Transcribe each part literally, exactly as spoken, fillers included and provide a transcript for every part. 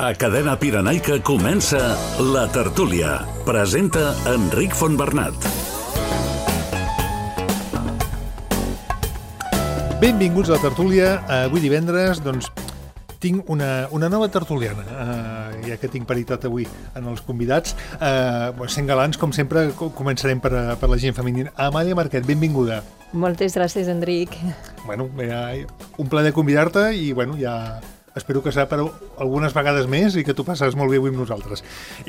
A Cadena Pirenaica comença La Tertúlia. Presenta Enric Fontbernat. Benvinguts a La Tertúlia. Avui divendres, doncs, tinc una, una nova tertuliana, uh, ja que tinc paritat avui en els convidats. Uh, sent galants, com sempre, començarem per, per la gent femenina. Amàlia Marquet, benvinguda. Moltes gràcies, Enric. Bueno, ja, un plaer convidar-te i, bueno, ja espero que serà per algunes vegades més i que tu passes molt bé avui amb nosaltres.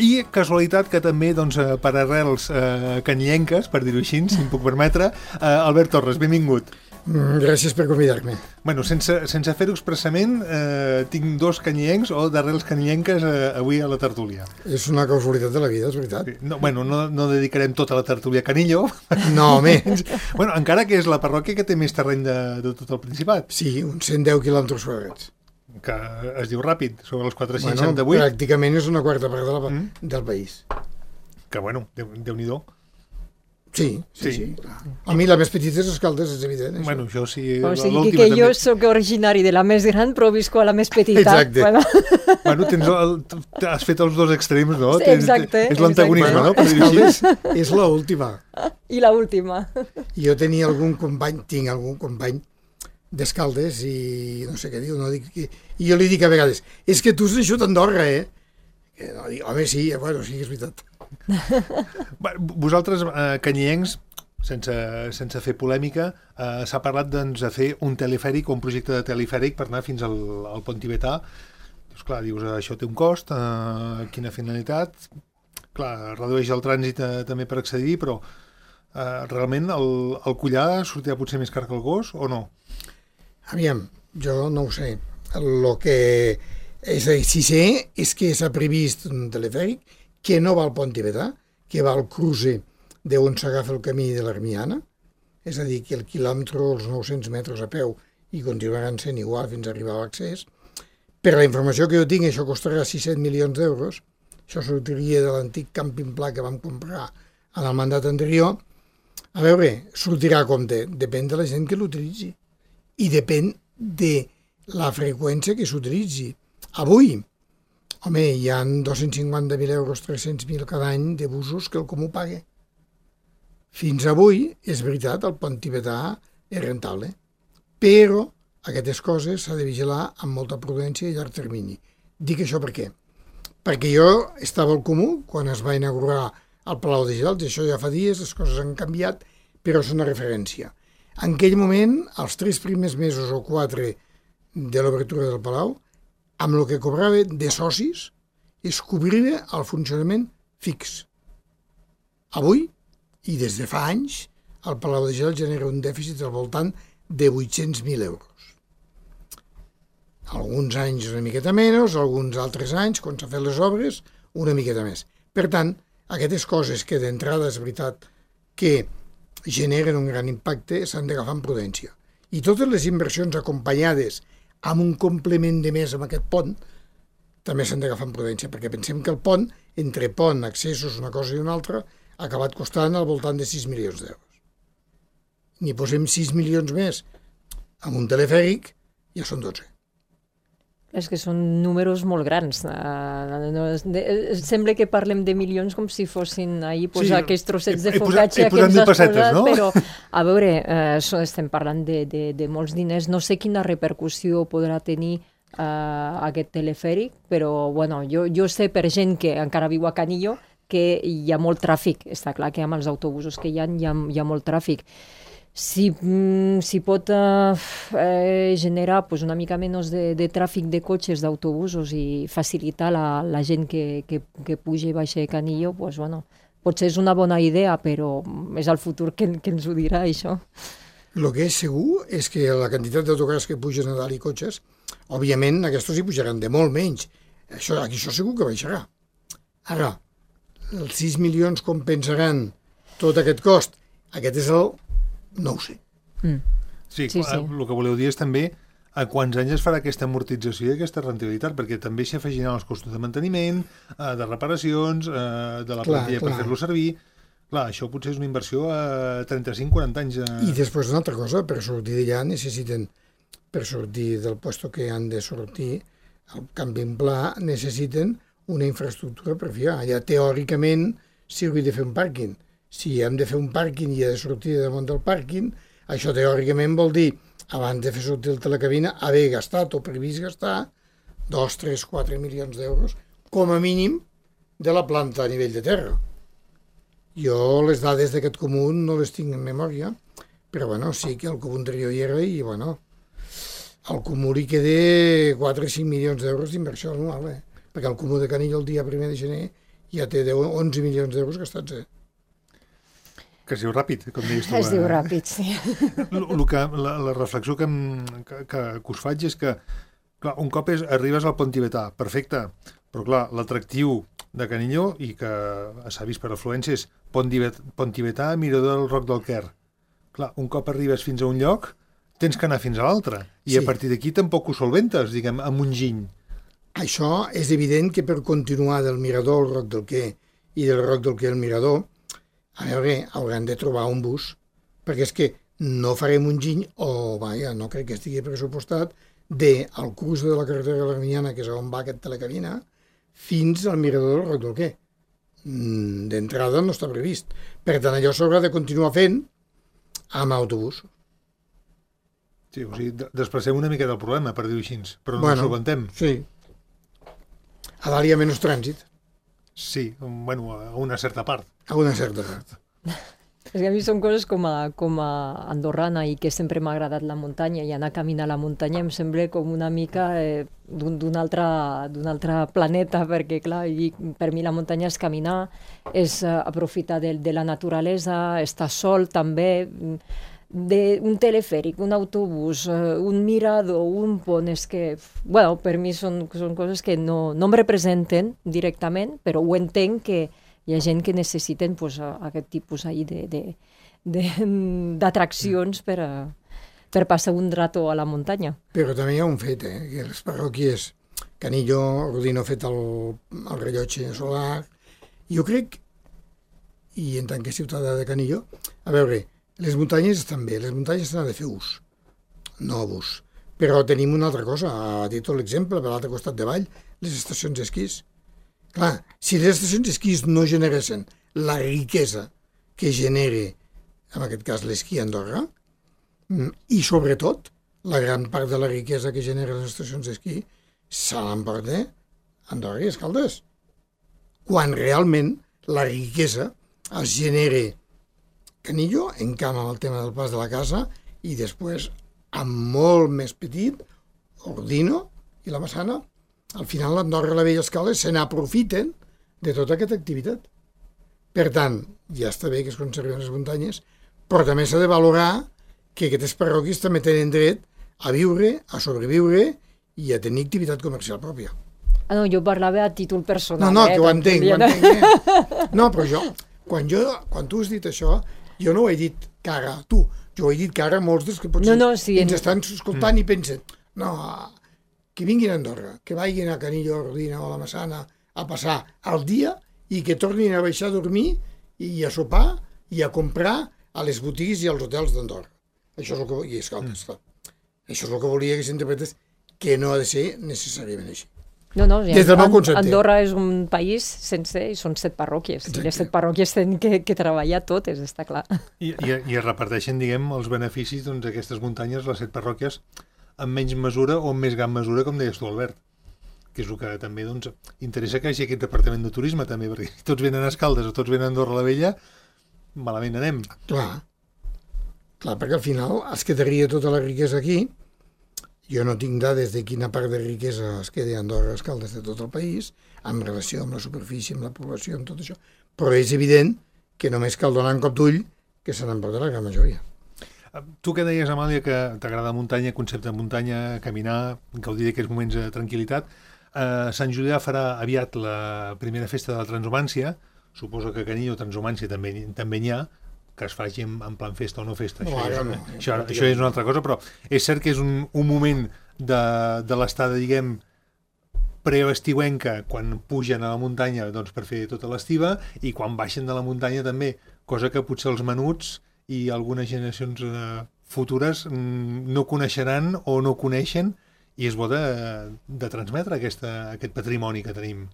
I casualitat que també, doncs, per arrels uh, canyenques, per dir-ho així, si em puc permetre, uh, Albert Torres, benvingut. Gràcies per convidar-me. Bueno, sense, sense fer-ho expressament, eh, tinc dos canyencs o d'arrels canyenques eh, avui a la tertúlia. És una casualitat de la vida, és veritat. Sí. No, bueno, no, no dedicarem tota la tertúlia a Canillo. No, home. Bueno, encara que és la parròquia que té més terreny de, de tot el Principat. Sí, uns cent deu quilòmetres quadrats. Que es diu ràpid, sobre els quatre-cents seixanta-vuit. Bueno, pràcticament és una quarta part de la, mm. del país. Que, bueno, Déu, Déu-n'hi-do. Sí, sí, sí. sí. A mi la més petita és Escaldes, és evident. Això. Bueno, això sí. O sigui que, que jo sóc originari de la més gran, però visco a la més petita. Exacte. Bueno, bueno tens el, has fet els dos extrems, no? Sí, exacte. És l'antagonisme, bueno, no? Per dir-ho així. És l'última. I l'última. Jo tenia algun company, tinc algun company d'Escaldes i no sé què diu, no dic que... I jo li dic a vegades, és que tu has deixat Andorra, eh? Que no, dic, home, sí, bueno, sí, és veritat. Vosaltres, eh, canyiencs, sense, sense fer polèmica, eh, s'ha parlat doncs, de fer un telefèric o un projecte de telefèric per anar fins al, al pont tibetà. Doncs clar, dius, això té un cost, eh, quina finalitat? Clar, redueix el trànsit eh, també per accedir, però eh, realment el, el collar sortirà potser més car que el gos o no? Aviam, jo no ho sé. El que és, si sé és que s'ha previst un telefèric que no va al pont tibetà, que va al cruce d'on s'agafa el camí de l'Armiana, és a dir, que el quilòmetre, els nou-cents metres a peu, i continuaran sent igual fins a arribar a l'accés. Per la informació que jo tinc, això costarà sis-set milions d'euros. Això sortiria de l'antic càmping pla que vam comprar en el mandat anterior. A veure, sortirà a compte. Depèn de la gent que l'utilitzi. I depèn de la freqüència que s'utilitzi. Avui, home, hi ha dos-cents cinquanta mil euros, tres-cents mil cada any de busos que el comú paga. Fins avui, és veritat, el pont tibetà és rentable, però aquestes coses s'ha de vigilar amb molta prudència i llarg termini. Dic això per què? Perquè jo estava al comú quan es va inaugurar el Palau de Gelats, això ja fa dies, les coses han canviat, però és una referència. En aquell moment, els tres primers mesos o quatre de l'obertura del Palau, amb el que cobrava de socis, es cobria el funcionament fix. Avui, i des de fa anys, el Palau de Gelats genera un dèficit al voltant de vuit-cents mil euros. Alguns anys una miqueta menys, alguns altres anys, quan s'ha fet les obres, una miqueta més. Per tant, aquestes coses que d'entrada és veritat que generen un gran impacte s'han d'agafar amb prudència. I totes les inversions acompanyades amb un complement de més amb aquest pont també s'han d'agafar amb prudència, perquè pensem que el pont, entre pont, accessos, una cosa i una altra, ha acabat costant al voltant de sis milions d'euros. N'hi posem sis milions més amb un telefèric, ja són dotze. És que són números molt grans. Uh, no, de, sembla que parlem de milions com si fossin ahir posar sí, aquests trossets de focaccia que ens has posat, no? Però, a veure, uh, estem parlant de, de, de molts diners. No sé quina repercussió podrà tenir uh, aquest telefèric, però bueno, jo, jo sé per gent que encara viu a Canillo que hi ha molt tràfic. Està clar que amb els autobusos que hi ha, hi ha, hi ha molt tràfic. Si, si pot uh, eh, generar pues, una mica menys de, de tràfic de cotxes, d'autobusos i facilitar la, la gent que, que, que puja i baixa de Canillo, pues, bueno, potser és una bona idea, però és el futur que, que ens ho dirà, això. El que és segur és que la quantitat d'autocars que pugen a dalt i cotxes, òbviament aquests hi pujaran de molt menys. Això, aquí això segur que baixarà. Ara, els sis milions compensaran tot aquest cost. Aquest és el... no ho sé. Mm. Sí, sí, sí, el que voleu dir és també a quants anys es farà aquesta amortització i aquesta rendibilitat, perquè també s'hi afegiran els costos de manteniment, de reparacions, de la plantilla per fer-lo servir. Clar, això potser és una inversió a trenta-cinc quaranta anys. A... I després una altra cosa, per sortir d'allà necessiten, per sortir del lloc que han de sortir, al Camping Pla necessiten una infraestructura per fiar. Allà, teòricament, si hauria de fer un pàrquing. Si hem de fer un pàrquing i ha de sortir damunt del pàrquing, això teòricament vol dir, abans de fer sortir el telecabina, haver gastat o previst gastar dos, tres, quatre milions d'euros, com a mínim, de la planta a nivell de terra. Jo les dades d'aquest comú no les tinc en memòria, però bueno, sí que el comú anterior hi era i bueno, al comú li queda quatre o cinc milions d'euros d'inversió anual, eh? Perquè el comú de Canillo el dia primer de gener ja té deu, onze milions d'euros gastats, eh? Que es diu ràpid, com deies tu. Es diu ràpid, sí. L -l que, la, la reflexió que, em, que, que, que us faig és que, clar, un cop és, arribes al Pont Tibetà, perfecte, però clar, l'atractiu de Canillo, i que s'ha vist per afluència, és Pont, Pont Tibetà, Mirador del Roc del Quer. Clar, un cop arribes fins a un lloc, tens que anar fins a l'altre, i sí. A partir d'aquí tampoc ho solventes, diguem, amb un giny. Això és evident que per continuar del Mirador al Roc del Quer i del Roc del Quer al Mirador, a veure, hauran de trobar un bus, perquè és que no farem un giny, o, vaja, no crec que estigui pressupostat, de al curs de la carretera de l'Arminyana, que és on va aquest telecabina, fins al Mirador del Roc del Quer. D'entrada no està previst. Per tant, allò s'haurà de continuar fent amb autobús. Sí, o sigui, desplacem una mica del problema, per dir-ho així, però no bueno, ens solventem. Sí. A dalt hi ha menys trànsit. Sí, bueno, a una certa part. A una certa part. És que a mi són coses com a, com a andorrana i que sempre m'ha agradat la muntanya i anar a caminar a la muntanya em sembla com una mica eh, d'un altre, d'un altre planeta, perquè clar, i per mi la muntanya és caminar, és uh, aprofitar de, de la naturalesa, estar sol també, de, un telefèric, un autobús, uh, un mirador, un pont, és que, bueno, per mi són, són coses que no, no em representen directament, però ho entenc que hi ha gent que necessiten pues, aquest tipus d'atraccions per, a, per passar un rato a la muntanya. Però també hi ha un fet, eh? Que les parròquies, Canillo, Rodino ha fet el, el rellotge solar. Jo crec, i en tant que ciutadà de Canillo, a veure, les muntanyes estan bé, les muntanyes s'han de fer ús, no abús. Però tenim una altra cosa, ha dit l'exemple, per l'altre costat de vall, les estacions d'esquís. Clar, si les estacions d'esquís no generessin la riquesa que genera, en aquest cas, l'esquí a Andorra, i sobretot, la gran part de la riquesa que genera les estacions d'esquí se l'emporta Andorra i Escaldes. Quan realment la riquesa es genera Canillo, en camp amb el tema del pas de la casa, i després, amb molt més petit, Ordino i la Massana, al final l'Andorra i la Vella Escales se n'aprofiten de tota aquesta activitat. Per tant, ja està bé que es conserven les muntanyes, però també s'ha de valorar que aquestes parròquies també tenen dret a viure, a sobreviure i a tenir activitat comercial pròpia. Ah, no, jo parlava a títol personal. No, no, eh, que ho entenc, ho entenc. Eh? No, però jo, quan, jo, quan tu has dit això, jo no ho he dit cara a tu, jo ho he dit cara a molts dels que potser no, no, sí, ens en... estan escoltant mm. i pensen, no, que vinguin a Andorra, que vagin a Canillo, a Rodina o a la Massana a passar el dia i que tornin a baixar a dormir i a sopar i a comprar a les botigues i als hotels d'Andorra. Això és el que, i escolta, mm. això és el que volia que s'interpretés, que no ha de ser necessàriament així. No, no, Des del meu concepte. Andorra és un país sense, i són set parròquies. Exacte. I les set parròquies tenen que, que treballar totes, està clar. I, i, i es reparteixen, diguem, els beneficis doncs, d'aquestes muntanyes, les set parròquies, en menys mesura o en més gran mesura, com deies tu, Albert, que és el que també doncs, interessa que hi hagi aquest departament de turisme també, perquè si tots venen a Escaldes o tots venen a Andorra la Vella, malament anem. Clar, clar, perquè al final es quedaria tota la riquesa aquí. Jo no tinc dades de quina part de riquesa es queda a Andorra, Escaldes, de tot el país, en relació amb la superfície, amb la població, amb tot això, però és evident que només cal donar un cop d'ull que se n'emporta la gran majoria. Tu que deies, Amàlia, que t'agrada muntanya, concepte de muntanya, caminar, gaudir d'aquests moments de tranquil·litat, eh, Sant Julià farà aviat la primera festa de la transhumància, suposo que a Canillo transhumància també, també n'hi ha, que es faci en, en plan festa o no festa, no, això, ara és, no, això, no, això és una altra cosa, però és cert que és un, un moment de, de l'estada, diguem, preestiuenca, quan pugen a la muntanya doncs, per fer tota l'estiva, i quan baixen de la muntanya també, cosa que potser els menuts i algunes generacions eh, futures mm, no coneixeran o no coneixen, i és bo de, de transmetre aquesta, aquest patrimoni que tenim.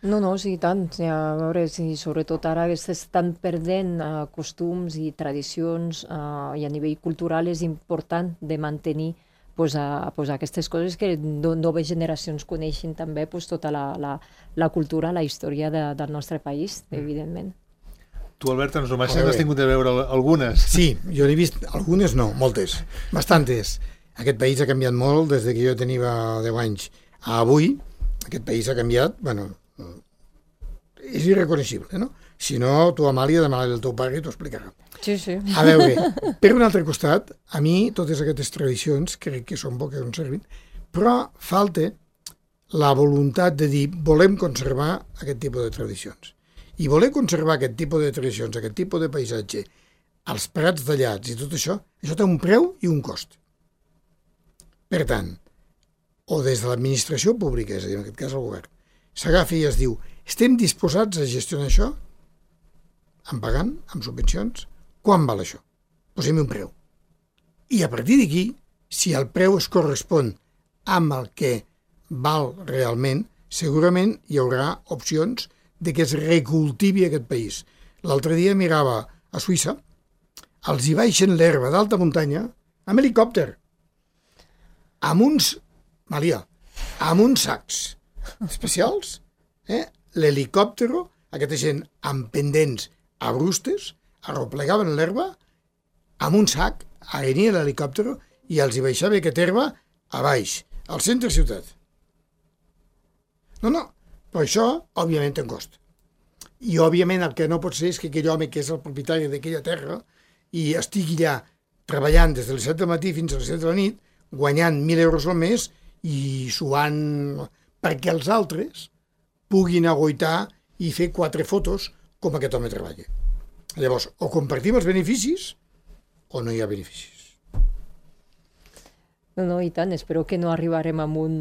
No, no, sí, tant. Sí, a veure, sí, sobretot ara s'estan perdent uh, costums i tradicions uh, i a nivell cultural és important de mantenir pues, a, pues, aquestes coses que no, noves generacions coneixin també pues, tota la, la, la cultura, la història de, del nostre país, mm. evidentment. Tu, Albert, ens només has tingut de veure algunes. Sí, jo n'he vist algunes, no, moltes, bastantes. Aquest país ha canviat molt des que jo tenia deu anys a avui. Aquest país ha canviat, bueno, és irreconeixible, no? Si no, tu, Amàlia, demà el teu pare t'ho explicarà. Sí, sí. A veure, per un altre costat, a mi totes aquestes tradicions crec que són bo que conservin, però falta la voluntat de dir volem conservar aquest tipus de tradicions. I voler conservar aquest tipus de tradicions, aquest tipus de paisatge, els prats tallats i tot això, això té un preu i un cost. Per tant, o des de l'administració pública, és a dir, en aquest cas el govern, s'agafa i es diu, estem disposats a gestionar això? Em pagant, amb subvencions? Quan val això? Posem un preu. I a partir d'aquí, si el preu es correspon amb el que val realment, segurament hi haurà opcions de que es recultivi aquest país. L'altre dia mirava a Suïssa, els hi baixen l'herba d'alta muntanya amb helicòpter, amb uns, Malia, amb uns sacs especials, eh? L'helicòptero, aquesta gent amb pendents a brustes, arroplegaven l'herba amb un sac, venia l'helicòptero i els hi baixava aquesta herba a baix, al centre ciutat. No, no, però això, òbviament, té un cost. I, òbviament, el que no pot ser és que aquell home que és el propietari d'aquella terra i estigui allà treballant des de les set del matí fins a les set de la nit, guanyant mil euros al mes i suant perquè els altres puguin agoitar i fer quatre fotos com aquest home treballa. Llavors, o compartim els beneficis o no hi ha beneficis. No, no, i tant. Espero que no arribarem a un,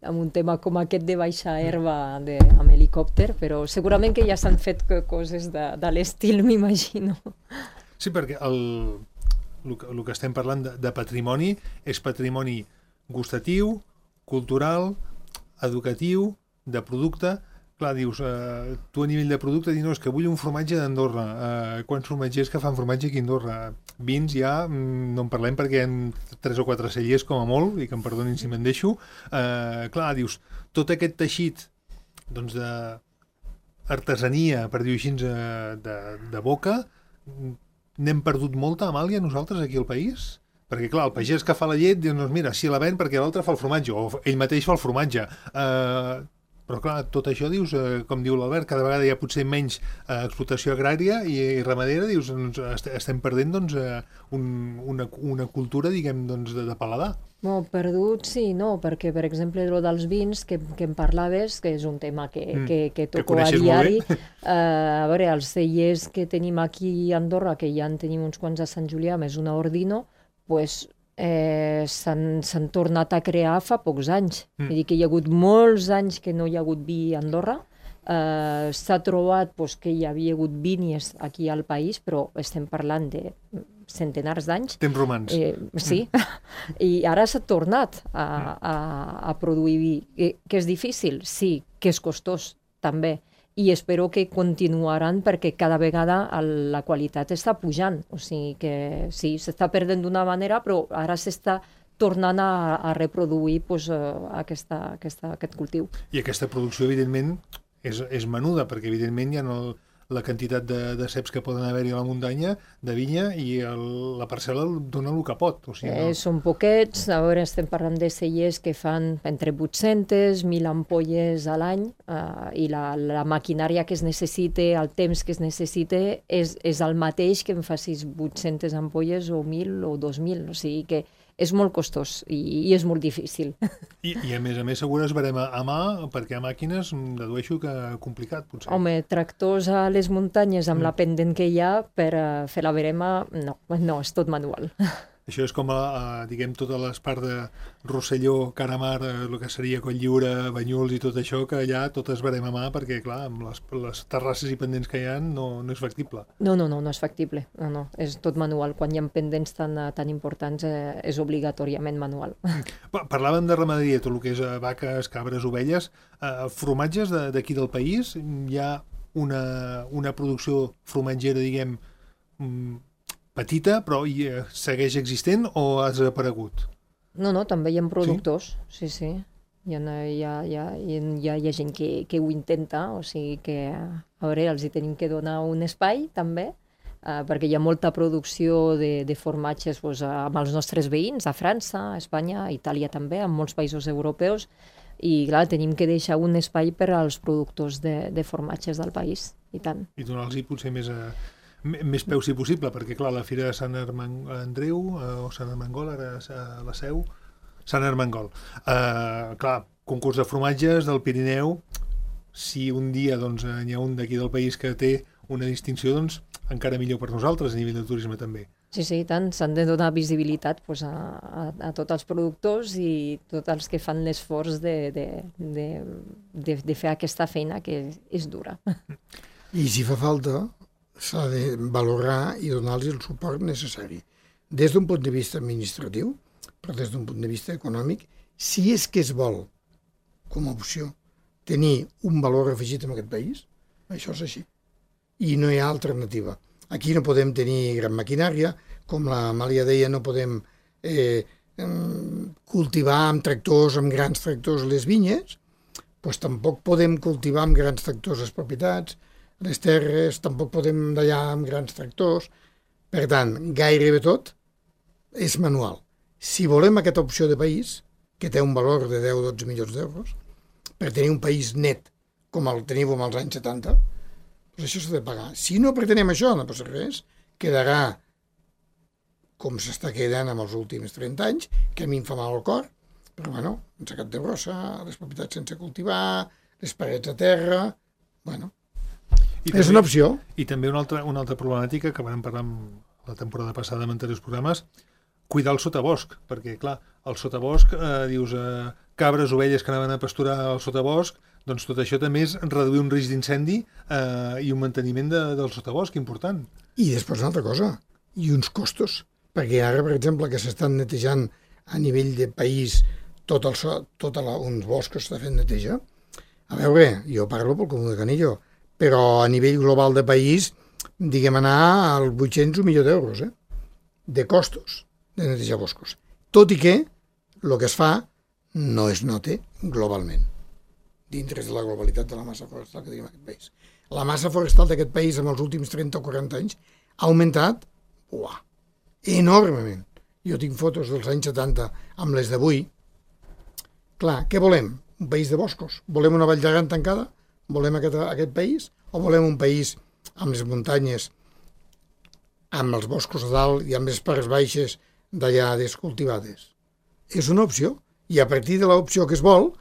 a un tema com aquest de baixar herba de, amb helicòpter, però segurament que ja s'han fet coses de, de l'estil, m'imagino. Sí, perquè el, el, el que estem parlant de, de patrimoni és patrimoni gustatiu, cultural, educatiu, de producte. Clar, dius, eh, tu a nivell de producte dius, no, és que vull un formatge d'Andorra. Eh, quants formatgers que fan formatge aquí a Andorra? Vins ja, no en parlem perquè hi ha tres o quatre cellers com a molt, i que em perdonin si me'n deixo. Eh, clar, dius, tot aquest teixit doncs, d'artesania, per dir-ho així, de, de boca, n'hem perdut molta, Amàlia, nosaltres aquí al país? Perquè, clar, el pagès que fa la llet diu, doncs mira, si la ven perquè l'altre fa el formatge, o ell mateix fa el formatge. Eh, però, clar, tot això, dius, eh, com diu l'Albert, cada vegada hi ha potser menys eh, explotació agrària i, i ramadera, dius, doncs, est estem perdent doncs, eh, un, una, una cultura, diguem, doncs, de, de paladar. No, perdut sí, no, perquè, per exemple, el dels vins que, que em parlaves, que és un tema que, mm, que, que toco que a diari, eh, a veure, els cellers que tenim aquí a Andorra, que ja en tenim uns quants a Sant Julià, més una Ordino, pues, eh, s'han tornat a crear fa pocs anys. Mm. Vull dir que hi ha hagut molts anys que no hi ha hagut vi a Andorra. Eh, S'ha trobat pues, que hi havia hagut vinyes aquí al país, però estem parlant de centenars d'anys. Temps romans. Eh, sí, mm. I ara s'ha tornat a, a, a produir vi. Que, que és difícil? Sí. Que és costós? També. I espero que continuaran perquè cada vegada la qualitat està pujant. O sigui que sí, s'està perdent d'una manera, però ara s'està tornant a, a reproduir pues, aquesta, aquesta, aquest cultiu. I aquesta producció, evidentment, és, és menuda, perquè, evidentment, hi ha el, la quantitat de, de ceps que poden haver-hi a la muntanya, de vinya, i el, la parcel·la dona el que pot. O sigui, no? eh, són poquets, ara estem parlant de cellers que fan entre vuit-centes, mil ampolles a l'any, eh, i la, la maquinària que es necessita, el temps que es necessita, és, és el mateix que em facis vuit-centes ampolles o mil o dos mil, o sigui que és molt costós i, i és molt difícil. I, I a més a més segur es verem a, a mà, perquè a màquines dedueixo que complicat, potser. Home, tractors a les muntanyes amb mm. la pendent que hi ha per uh, fer la verema, no, no, és tot manual. Això és com, a, a, diguem, totes les parts de Rosselló, Caramar, el que seria Cotlliure, Banyuls i tot això, que allà totes verem a mà, perquè, clar, amb les, les terrasses i pendents que hi ha no, no és factible. No, no, no, no és factible. No, no, és tot manual. Quan hi ha pendents tan, tan importants eh, és obligatòriament manual. Parlàvem de ramaderia, tot el que és vaques, cabres, ovelles. Eh, formatges d'aquí del país, hi ha una, una producció formatgera, diguem, petita, però hi, eh, segueix existent o ha desaparegut? No, no, també hi ha productors, sí, sí. sí. Hi, ha, hi, ha, hi, ha, hi, ha, hi ha gent que, que ho intenta, o sigui que, a veure, els hi tenim que donar un espai, també, eh, perquè hi ha molta producció de, de formatges doncs, amb els nostres veïns, a França, a Espanya, a Itàlia també, en molts països europeus, i clar, tenim que deixar un espai per als productors de, de formatges del país, i tant. I donar-los potser més, a, més peu si possible, perquè clar, la Fira de Sant Andreu, eh, o Sant Armengol, ara a la Seu, Sant Armengol. Eh, clar, concurs de formatges del Pirineu, si un dia doncs, hi ha un d'aquí del país que té una distinció, doncs encara millor per nosaltres a nivell de turisme també. Sí, sí, tant. S'han de donar visibilitat pues, a, a, a tots els productors i tots els que fan l'esforç de, de, de, de, de fer aquesta feina que és dura. I si fa falta, s'ha de valorar i donar-los el suport necessari. Des d'un punt de vista administratiu, però des d'un punt de vista econòmic, si és que es vol, com a opció, tenir un valor afegit en aquest país, això és així. I no hi ha alternativa. Aquí no podem tenir gran maquinària, com la Amàlia deia, no podem eh, cultivar amb tractors, amb grans tractors les vinyes, doncs tampoc podem cultivar amb grans tractors les propietats, les terres, tampoc podem dallar amb grans tractors. Per tant, gairebé tot és manual. Si volem aquesta opció de país, que té un valor de deu a dotze milions d'euros, per tenir un país net, com el teniu en els anys setanta, doncs això s'ha de pagar. Si no pretenem això, no passa res, quedarà com s'està quedant amb els últims trenta anys, que a mi em fa mal al cor, però bueno, sense cap de brossa, les propietats sense cultivar, les parets a terra, bueno, I és també, una opció. I també una altra, una altra problemàtica que vam parlar la temporada passada en anteriors programes, cuidar el sotabosc, perquè clar, el sotabosc, eh, dius, eh, cabres, ovelles que anaven a pasturar al sotabosc, doncs tot això també és reduir un risc d'incendi eh, i un manteniment de, del sotabosc important. I després una altra cosa, i uns costos, perquè ara, per exemple, que s'estan netejant a nivell de país tot el so, tot la, uns boscos s'està fent neteja. A veure, jo parlo pel Comú de Canillo, però a nivell global de país, diguem anar als vuit-cents un milió d'euros, eh? de costos de netejar boscos. Tot i que el que es fa no es note globalment, dintre de la globalitat de la massa forestal que tenim en aquest país. La massa forestal d'aquest país en els últims trenta o quaranta anys ha augmentat uah, enormement. Jo tinc fotos dels anys setanta amb les d'avui. Clar, què volem? Un país de boscos? Volem una vall d'Aran tancada? Volem aquest, aquest país? O volem un país amb les muntanyes, amb els boscos a dalt i amb les parts baixes d'allà descultivades? És una opció. I a partir de l'opció que es vol,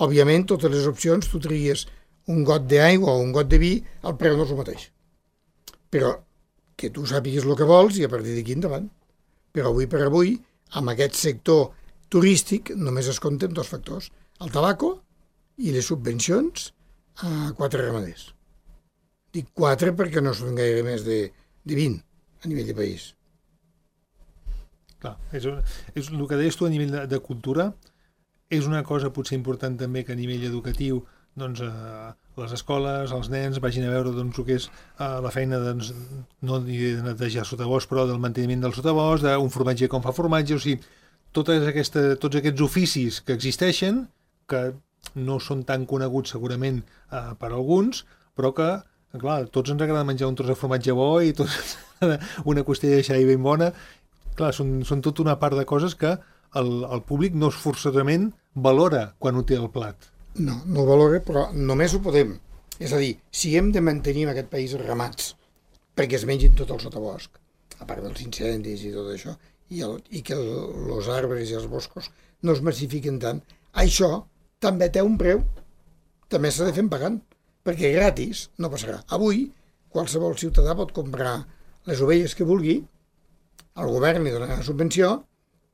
òbviament, totes les opcions, tu tries un got d'aigua o un got de vi, el preu no és el mateix. Però que tu sàpigues el que vols i a partir d'aquí endavant. Però avui per avui, amb aquest sector turístic, només es compten dos factors, el tabaco i les subvencions a quatre ramaders. Dic quatre perquè no són gaire més de, de vint a nivell de país. Clar, és, és el que deies tu a nivell de, de cultura, és una cosa potser important també que a nivell educatiu doncs, eh, les escoles, els nens vagin a veure doncs, el que és eh, la feina doncs, no de netejar sotabosc, però del manteniment del sotabosc, d'un formatger com fa formatge, o sigui, totes aquesta, tots aquests oficis que existeixen, que no són tan coneguts segurament eh, per alguns, però que, clar, tots ens agrada menjar un tros de formatge bo i tots una costella de xai ben bona. Clar, són, són tota una part de coses que el, el públic no forçosament valora quan ho té al plat. No, no ho valora, però només ho podem. És a dir, si hem de mantenir en aquest país ramats perquè es mengin tot el sotabosc, a part dels incendis i tot això, i, el, i que els arbres i els boscos no es massifiquen tant, això també té un preu, també s'ha de fer pagant, perquè gratis no passarà. Avui, qualsevol ciutadà pot comprar les ovelles que vulgui al govern li donarà subvenció,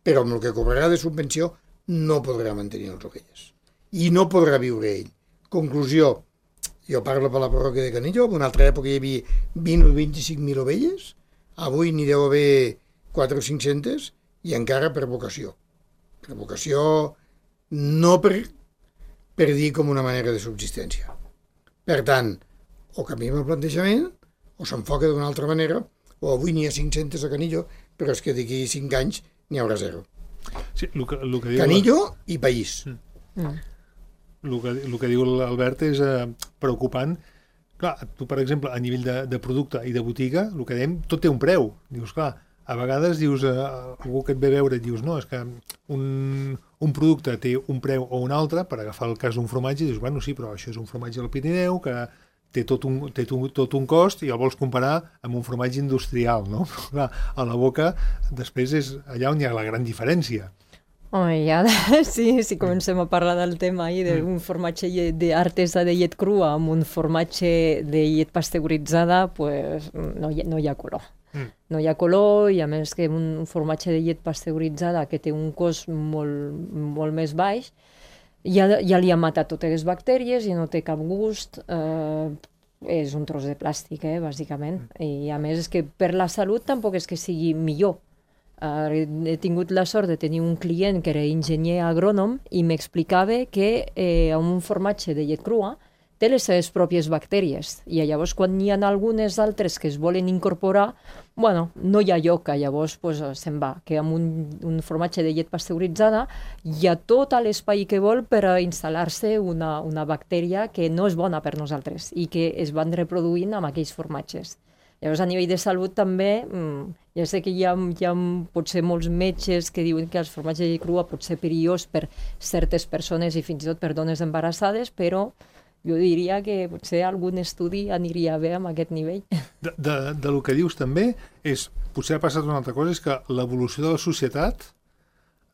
però amb el que cobrarà de subvenció no podrà mantenir les ovelles. I no podrà viure ell. Conclusió, jo parlo per la parròquia de Canillo, en una altra època hi havia vint o vint-i-cinc mil ovelles, avui n'hi deu haver quatre o cinc-centes, i encara per vocació. Per vocació, no per, per dir com una manera de subsistència. Per tant, o canviem el plantejament, o s'enfoca d'una altra manera, o avui n'hi ha cinc-centes a Canillo, però és que d'aquí cinc anys n'hi haurà zero. Sí, el que, el que diu Canillo i país. Mm. El, que, el que diu l'Albert és eh, preocupant. Clar, tu, per exemple, a nivell de, de producte i de botiga, el que dèiem, tot té un preu. Dius, clar, a vegades dius, eh, algú que et ve a veure et dius, no, és que un, un producte té un preu o un altre, per agafar el cas d'un formatge, dius, bueno, sí, però això és un formatge del Pirineu, que té tot un, té tot un cost i el vols comparar amb un formatge industrial, no? Però, clar, a la boca, després és allà on hi ha la gran diferència. Home, ja, sí, si comencem a parlar del tema ahir d'un formatge d'artesa de llet crua amb un formatge de llet pasteuritzada, pues, no, hi, no hi ha color. Mm. No hi ha color, i a més que un formatge de llet pasteuritzada que té un cost molt, molt més baix, ja, ja li ha matat totes les bactèries i no té cap gust, eh, és un tros de plàstic, eh, bàsicament. I a més és que per la salut tampoc és que sigui millor. Uh, he tingut la sort de tenir un client que era enginyer agrònom i m'explicava que eh, un formatge de llet crua té les seves pròpies bactèries i llavors quan hi ha algunes altres que es volen incorporar, bueno, no hi ha lloc, llavors pues, se'n va, que amb un, un formatge de llet pasteuritzada hi ha tot l'espai que vol per instal·lar-se una, una bactèria que no és bona per nosaltres i que es van reproduint amb aquells formatges. Llavors, a nivell de salut també, ja sé que hi ha, hi ha potser molts metges que diuen que el formatge de llet crua pot ser perillós per certes persones i fins i tot per dones embarassades, però jo diria que potser algun estudi aniria bé amb aquest nivell. De, de, de lo que dius també, és, potser ha passat una altra cosa, és que l'evolució de la societat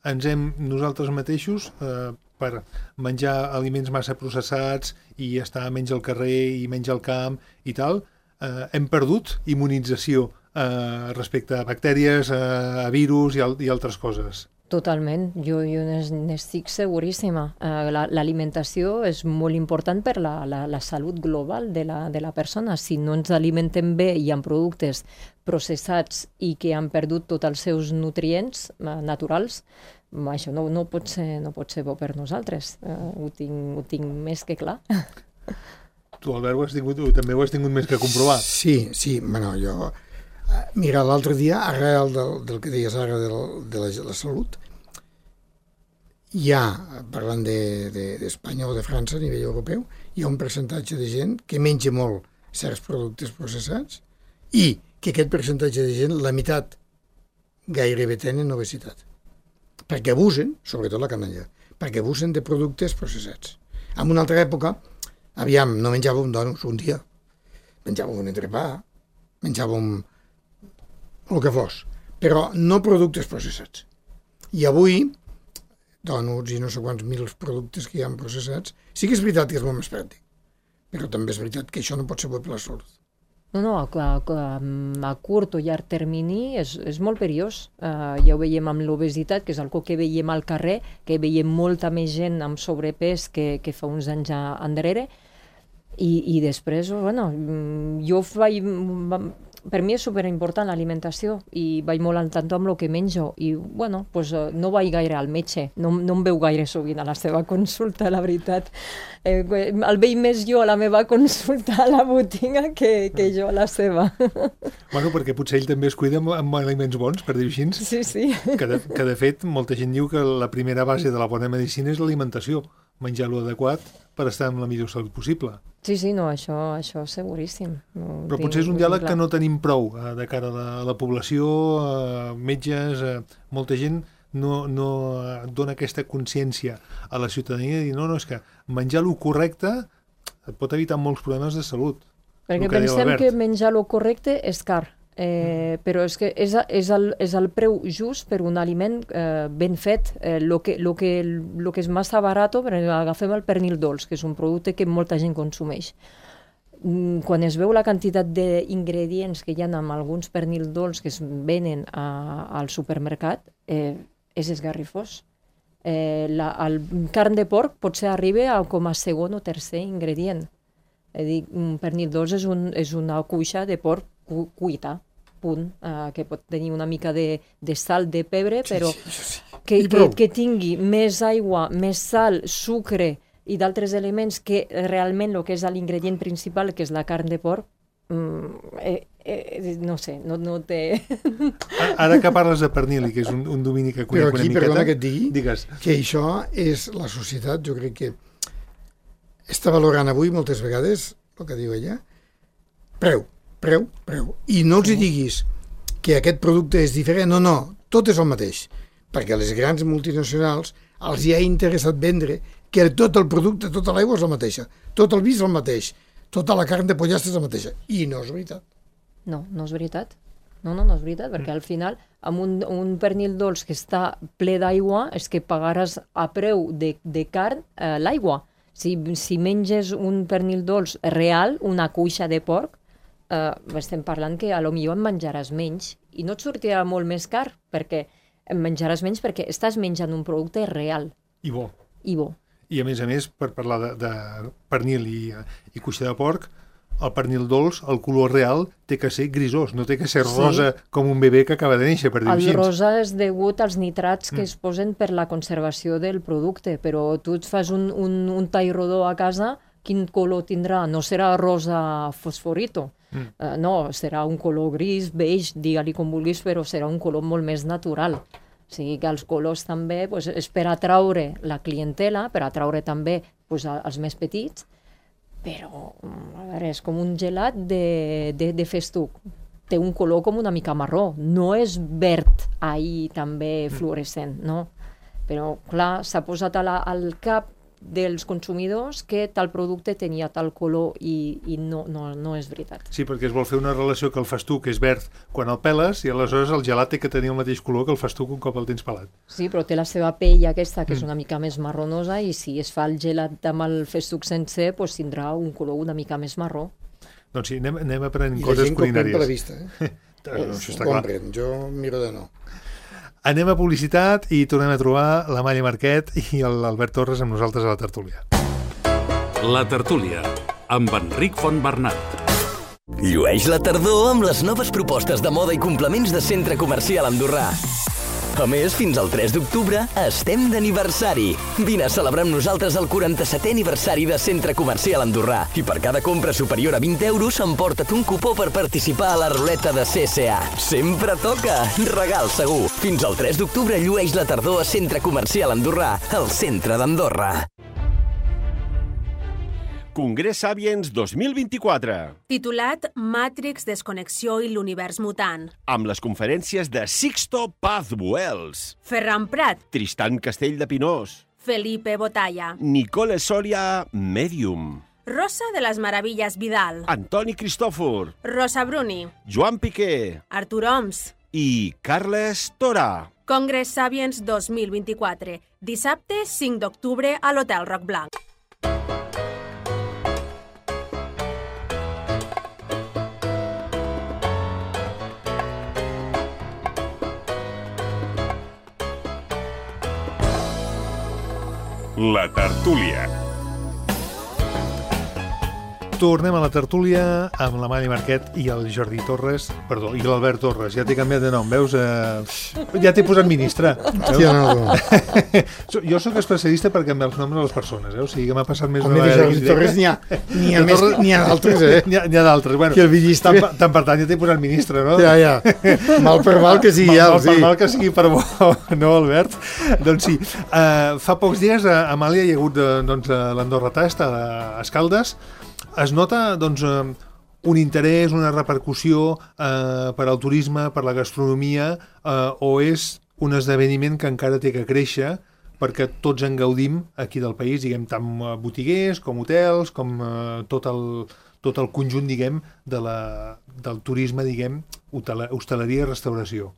ens hem nosaltres mateixos eh, per menjar aliments massa processats i estar menys al carrer i menys al camp i tal, eh, hem perdut immunització eh, respecte a bactèries, eh, a virus i, al, i altres coses. Totalment, jo, jo n'estic seguríssima. Uh, L'alimentació és molt important per la, la, la salut global de la, de la persona. Si no ens alimentem bé i amb productes processats i que han perdut tots els seus nutrients uh, naturals, això no, no, pot ser, no pot ser bo per nosaltres. Uh, ho, tinc, ho tinc més que clar. Tu, Albert, ho has tingut, també ho has tingut més que comprovar. Sí, sí, bueno, jo... Mira, l'altre dia, arrel del, del que deies ara de la, de la, la salut, hi ha, parlant d'Espanya de, de, o de França a nivell europeu, hi ha un percentatge de gent que menja molt certs productes processats i que aquest percentatge de gent, la meitat, gairebé tenen obesitat. Perquè abusen, sobretot la canalla, perquè abusen de productes processats. En una altra època, aviam, no menjàvem donuts un dia, menjàvem un entrepà, menjàvem el que fos, però no productes processats. I avui, donuts i no sé quants mil productes que hi ha processats, sí que és veritat que és molt més pràctic, però també és veritat que això no pot ser bo per la salut. No, no, a, a, a curt o llarg termini és, és molt perillós. Uh, ja ho veiem amb l'obesitat, que és algo que veiem al carrer, que veiem molta més gent amb sobrepès que, que fa uns anys enrere, i, i després, bueno, jo vaig... Per mi és superimportant l'alimentació i vaig molt al tanto amb el que menjo i, bueno, pues, no vaig gaire al metge, no, no em veu gaire sovint a la seva consulta, la veritat. Eh, el veig més jo a la meva consulta a la botiga que, que jo a la seva. Bueno, perquè potser ell també es cuida amb, amb aliments bons, per dir-ho així. Sí, sí. Que de, que de fet, molta gent diu que la primera base de la bona medicina és l'alimentació, menjar lo adequat per estar amb la millor salut possible. Sí, sí, no, això, això seguríssim. No, però potser és un diàleg que no tenim prou eh, de cara a la, a la població, eh, metges, eh, molta gent no, no dona aquesta consciència a la ciutadania de dir, no, no, és que menjar lo correcte et pot evitar molts problemes de salut. Perquè que pensem que menjar lo correcte és car, eh, però és que és, és, el, és el preu just per un aliment eh, ben fet. Eh, lo, que, lo, que, lo que és massa barat, agafem el pernil dolç, que és un producte que molta gent consumeix. quan es veu la quantitat d'ingredients que hi ha en alguns pernils dolç que es venen a, al supermercat, eh, és esgarrifós. Eh, la, el carn de porc potser arriba a com a segon o tercer ingredient. És a dir, un pernil dolç és, un, és una cuixa de porc cu, cuita, punt, eh, que pot tenir una mica de, de sal, de pebre, però sí, sí, sí. Que, que, que tingui més aigua, més sal, sucre i d'altres elements que realment el que és l'ingredient principal, que és la carn de porc, mm, eh, eh, no sé, no, no té... Ara que parles de pernil, que és un, un domini que conec aquí, una miqueta... Perdona que et digui, digues. Que això és la societat, jo crec que està valorant avui moltes vegades, el que diu ella, preu, preu, preu. I no els hi diguis que aquest producte és diferent, no, no, tot és el mateix, perquè a les grans multinacionals els hi ha interessat vendre que tot el producte, tota l'aigua és la mateixa, tot el vi és el mateix, tota la carn de pollastre és la mateixa. I no és veritat. No, no és veritat. No, no, no és veritat, perquè al final, amb un, un pernil dolç que està ple d'aigua, és que pagaràs a preu de, de carn eh, l'aigua. Si, si menges un pernil dolç real, una cuixa de porc, eh, estem parlant que a lo millor en menjaràs menys. I no et sortirà molt més car, perquè en menjaràs menys perquè estàs menjant un producte real. I bo. I bo. I a més a més, per parlar de, de pernil i, i cuixa de porc, el pernil dolç, el color real, té que ser grisós, no té que ser rosa sí. com un bebè que acaba de néixer, per dir-ho així. El rosa és degut als nitrats que mm. es posen per la conservació del producte, però tu et fas un, un, un tall rodó a casa, quin color tindrà? No serà rosa fosforito, mm. uh, no, serà un color gris, beix, digue-li com vulguis, però serà un color molt més natural. O sigui que els colors també pues, és per atraure la clientela, per atraure també pues, els més petits, però a veure, és com un gelat de, de, de festuc. Té un color com una mica marró, no és verd ahí també fluorescent, no? Però clar, s'ha posat a la, al cap dels consumidors que tal producte tenia tal color i, i no, no, no és veritat. Sí, perquè es vol fer una relació que el festuc és verd quan el peles i aleshores el gelat té que tenir el mateix color que el festuc un cop el tens pelat. Sí, però té la seva pell aquesta que mm. és una mica més marronosa i si es fa el gelat amb el festuc sencer doncs tindrà un color una mica més marró. Doncs sí, anem, anem aprenent coses culinàries. I la gent que ho pren per la vista. Eh? no, això està clar. Compren, jo miro de no. Anem a publicitat i tornem a trobar la Malla Marquet i l'Albert Torres amb nosaltres a la tertúlia. La tertúlia, amb Enric Fontbernat. Llueix la tardor amb les noves propostes de moda i complements de Centre Comercial Andorrà. A més, fins al tres d'octubre estem d'aniversari. Vine a celebrar amb nosaltres el quaranta-setè aniversari de Centre Comercial Andorrà i per cada compra superior a vint euros emporta't un cupó per participar a la ruleta de C C A. Sempre toca! Regal segur! Fins al tres d'octubre llueix la tardor a Centre Comercial Andorrà, al centre d'Andorra. Congrés Sapiens dos mil vint-i-quatre. Titulat Matrix, Desconnexió i l'univers mutant. Amb les conferències de Sixto Paz Buells, Ferran Prat, Tristan Castell de Pinós, Felipe Botalla, Nicole Soria, Medium, Rosa de les Meravilles Vidal, Antoni Cristòfor, Rosa Bruni, Joan Piqué Artur Oms i Carles Tora. Congrés Sapiens dos mil vint-i-quatre. Dissabte cinc d'octubre a l'Hotel Roc Blanc. La tertúlia. Tornem a la tertúlia amb la Malla Marquet i el Jordi Torres, perdó, i l'Albert Torres. Ja t'he canviat de nom, veus? Eh, ja t'he posat ministre. Hòstia, no. Jo sóc especialista per canviar els noms a les persones, eh? O sigui que m'ha passat més... Com he dit, Jordi Torres n'hi ha, n'hi ha, més, n'hi ha d'altres, eh? N'hi ha, ha d'altres, bueno. Que el villistre... Tant, tant per tant ja t'he posat ministre, no? Ja, ja. Mal per mal que sigui, ja, mal, sí. Mal per mal que sigui per bo, no, Albert? Doncs sí. Uh, fa pocs dies a Amàlia hi ha hagut doncs, l'Andorra Tast a Escaldes. Es nota doncs, un interès, una repercussió eh, per al turisme, per la gastronomia, eh, o és un esdeveniment que encara té que créixer perquè tots en gaudim aquí del país, diguem, tant botiguers com hotels, com eh, tot, el, tot el conjunt, diguem, de la, del turisme, diguem, hostaleria i restauració.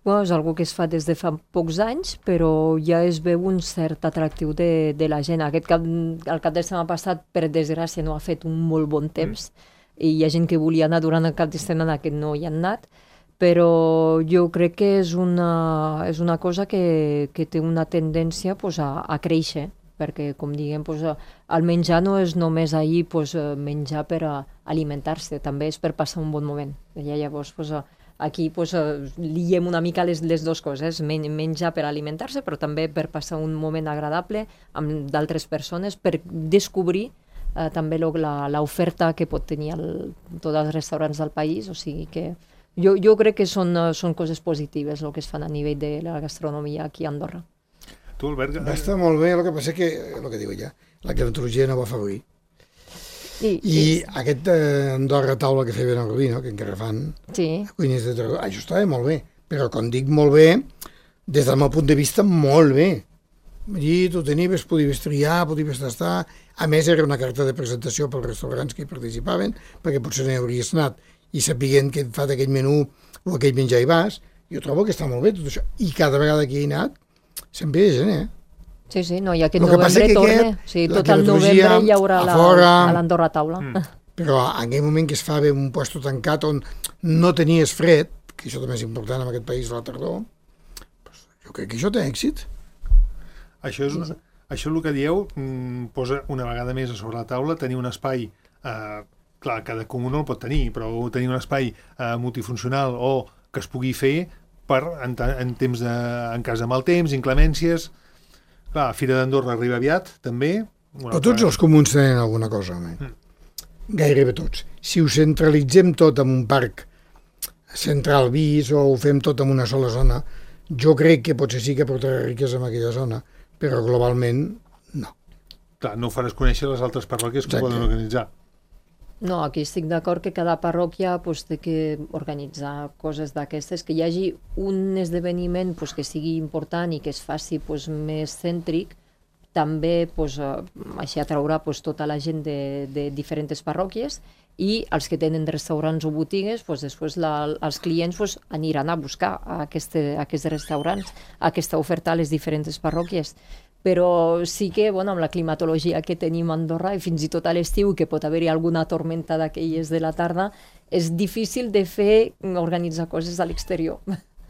Bueno, és algo que es fa des de fa pocs anys, però ja es veu un cert atractiu de, de la gent. Aquest cap, el cap de setmana passat, per desgràcia, no ha fet un molt bon temps, mm. i hi ha gent que volia anar durant el cap de setmana que no hi ha anat, però jo crec que és una, és una cosa que, que té una tendència pues, a, a créixer, perquè, com diguem, pues, el menjar no és només ahir pues, menjar per alimentar-se, també és per passar un bon moment. I llavors, pues, aquí pues, liem una mica les, les dues coses, Men menjar per alimentar-se, però també per passar un moment agradable amb d'altres persones, per descobrir eh, també l'oferta que pot tenir el, tots els restaurants del país, o sigui que jo, jo crec que són, són coses positives el que es fan a nivell de la gastronomia aquí a Andorra. Tu, Albert... Va estar molt bé, el que passa que, el que diu ja, la climatologia no va afavorir. I, I sí. aquest eh, Andorra taula que feien el Rubí, no? Que encara fan, sí. cuiners de Tarragona, això estava molt bé, però quan dic molt bé, des del meu punt de vista, molt bé. Allí tu tenies, podies triar, podies tastar, a més era una carta de presentació pels restaurants que hi participaven, perquè potser no hi hauries anat, i sapiguent que et fa aquell menú o aquell menjar hi vas, jo trobo que està molt bé tot això, i cada vegada que hi he anat, sempre hi ha gent, eh? Sí, sí, no, i aquest novembre torna. Sí, tot el novembre hi haurà la, a l'Andorra taula. Mm. Però en aquell moment que es fa bé un puesto tancat on no tenies fred, que això també és important en aquest país a la tardor, doncs jo crec que això té èxit. Això és una, això el que dieu mm, posa una vegada més a sobre la taula tenir un espai, eh, clar, cada comú no el pot tenir, però tenir un espai eh, multifuncional o que es pugui fer per, en, en, temps de, en cas de mal temps, inclemències. Clar, Fira d'Andorra arriba aviat, també. Però tots els comuns tenen alguna cosa, home. Mm. Gairebé tots. Si ho centralitzem tot en un parc central vist o ho fem tot en una sola zona, jo crec que potser sí que portarà riquesa en aquella zona, però globalment no. Clar, no ho faràs conèixer les altres parròquies que ho poden organitzar. No, aquí estic d'acord que cada parròquia pues, té que organitzar coses d'aquestes, que hi hagi un esdeveniment pues, que sigui important i que es faci pues, més cèntric, també pues, així atraurà pues, tota la gent de, de diferents parròquies i els que tenen restaurants o botigues, pues, després la, els clients pues, aniran a buscar a este, a aquests restaurants, a aquesta oferta a les diferents parròquies. Però sí que, bueno, amb la climatologia que tenim a Andorra, i fins i tot a l'estiu, que pot haver-hi alguna tormenta d'aquelles de la tarda, és difícil de fer, organitzar coses a l'exterior.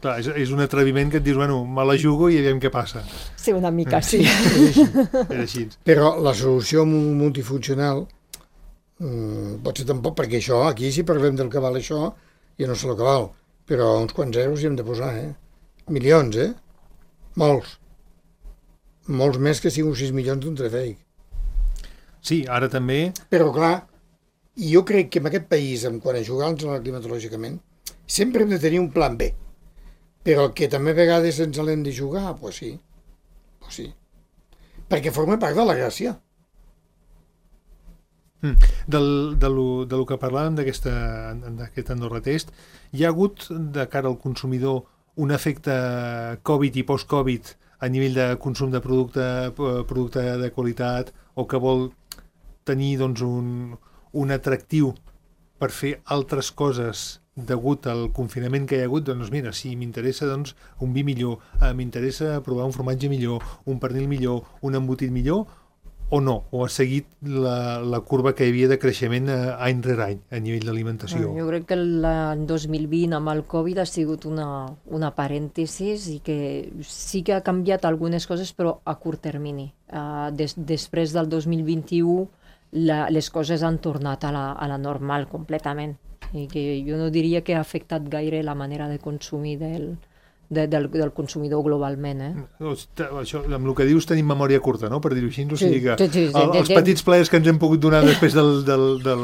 Clar, és, és un atreviment que et dius, bueno, me la jugo i aviam què passa. Sí, una mica, sí. sí. És així. Però la solució multifuncional mmm, pot ser tampoc, perquè això, aquí si parlem del que val això, jo no sé el que val, però uns quants euros hi hem de posar, eh? Milions, eh? Molts. Molts més que cinc o sis milions d'un telefèric. Sí, ara també... Però clar, jo crec que en aquest país, en quant a jugar-nos climatològicament, sempre hem de tenir un plan B. Però que també a vegades ens l'hem de jugar, doncs pues sí. Pues sí. Perquè forma part de la gràcia. Mm. Del, de, lo, de lo que parlàvem d'aquest Andorra Test, hi ha hagut, de cara al consumidor, un efecte Covid i post-Covid a nivell de consum de producte, producte de qualitat, o que vol tenir doncs, un, un atractiu per fer altres coses degut al confinament que hi ha hagut, doncs mira, si m'interessa doncs, un vi millor, eh, m'interessa provar un formatge millor, un pernil millor, un embotit millor, o no, o ha seguit la, la curva que hi havia de creixement any rere any a nivell d'alimentació. Jo crec que l'any dos mil vint amb el Covid ha sigut una, una parèntesis i que sí que ha canviat algunes coses, però a curt termini. Uh, des, després del dos mil vint-i-u la, les coses han tornat a la, a la normal completament. I que jo no diria que ha afectat gaire la manera de consumir del, de, del, del consumidor globalment. Eh? Això, amb el que dius tenim memòria curta, no? Per dir-ho així, o sigui que sí, sí, sí, el, els petits plaers que ens hem pogut donar després del, del, del,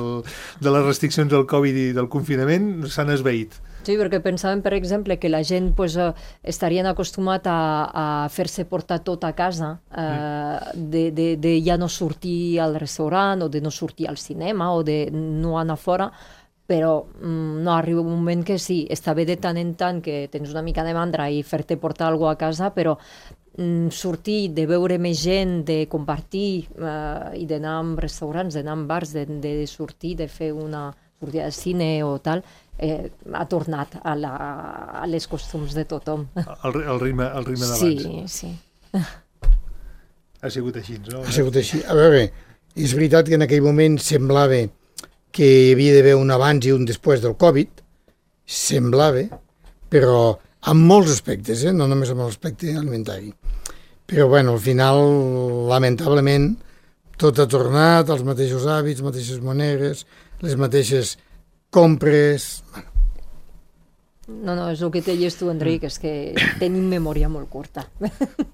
de les restriccions del Covid i del confinament s'han esveït. Sí, perquè pensàvem, per exemple, que la gent pues, eh, estarien acostumats a, a fer-se portar tot a casa, eh, de, de, de ja no sortir al restaurant o de no sortir al cinema o de no anar fora, però mm, no, arriba un moment que sí, està bé de tant en tant que tens una mica de mandra i fer-te portar alguna cosa a casa, però mm, sortir, de veure més gent, de compartir eh, i d'anar a restaurants, d'anar a bars, de, de sortir, de fer una sortida de cine o tal, eh, ha tornat a, la, a les costums de tothom. El, el ritme, el ritme d'abans. Sí, sí. Ha sigut així, no? Ha sigut així. A veure, és veritat que en aquell moment semblava que hi havia d'haver un abans i un després del Covid, semblava, però en molts aspectes, eh? No només en l'aspecte alimentari. Però, bueno, al final, lamentablement, tot ha tornat, els mateixos hàbits, mateixes monedes, les mateixes compres... Bueno. No, no, és el que deies tu, Enric, és que tenim memòria molt curta.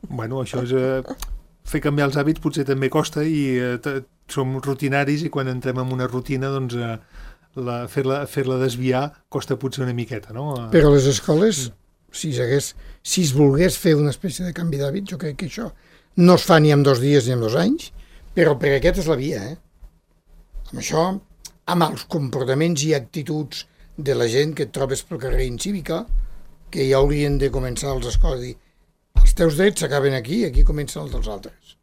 Bueno, això és... Eh, fer canviar els hàbits potser també costa i eh, som rutinaris i quan entrem en una rutina, doncs, eh, la, fer-la fer-la desviar costa potser una miqueta, no? Però a les escoles, si, hagués, si es volgués fer una espècie de canvi d'hàbit, jo crec que això no es fa ni en dos dies ni en dos anys, però per aquest és la via, eh? Amb això, amb els comportaments i actituds de la gent que et trobes pel carrer incívica, que ja haurien de començar els escoles a dir els teus drets s'acaben aquí, aquí comencen els dels altres.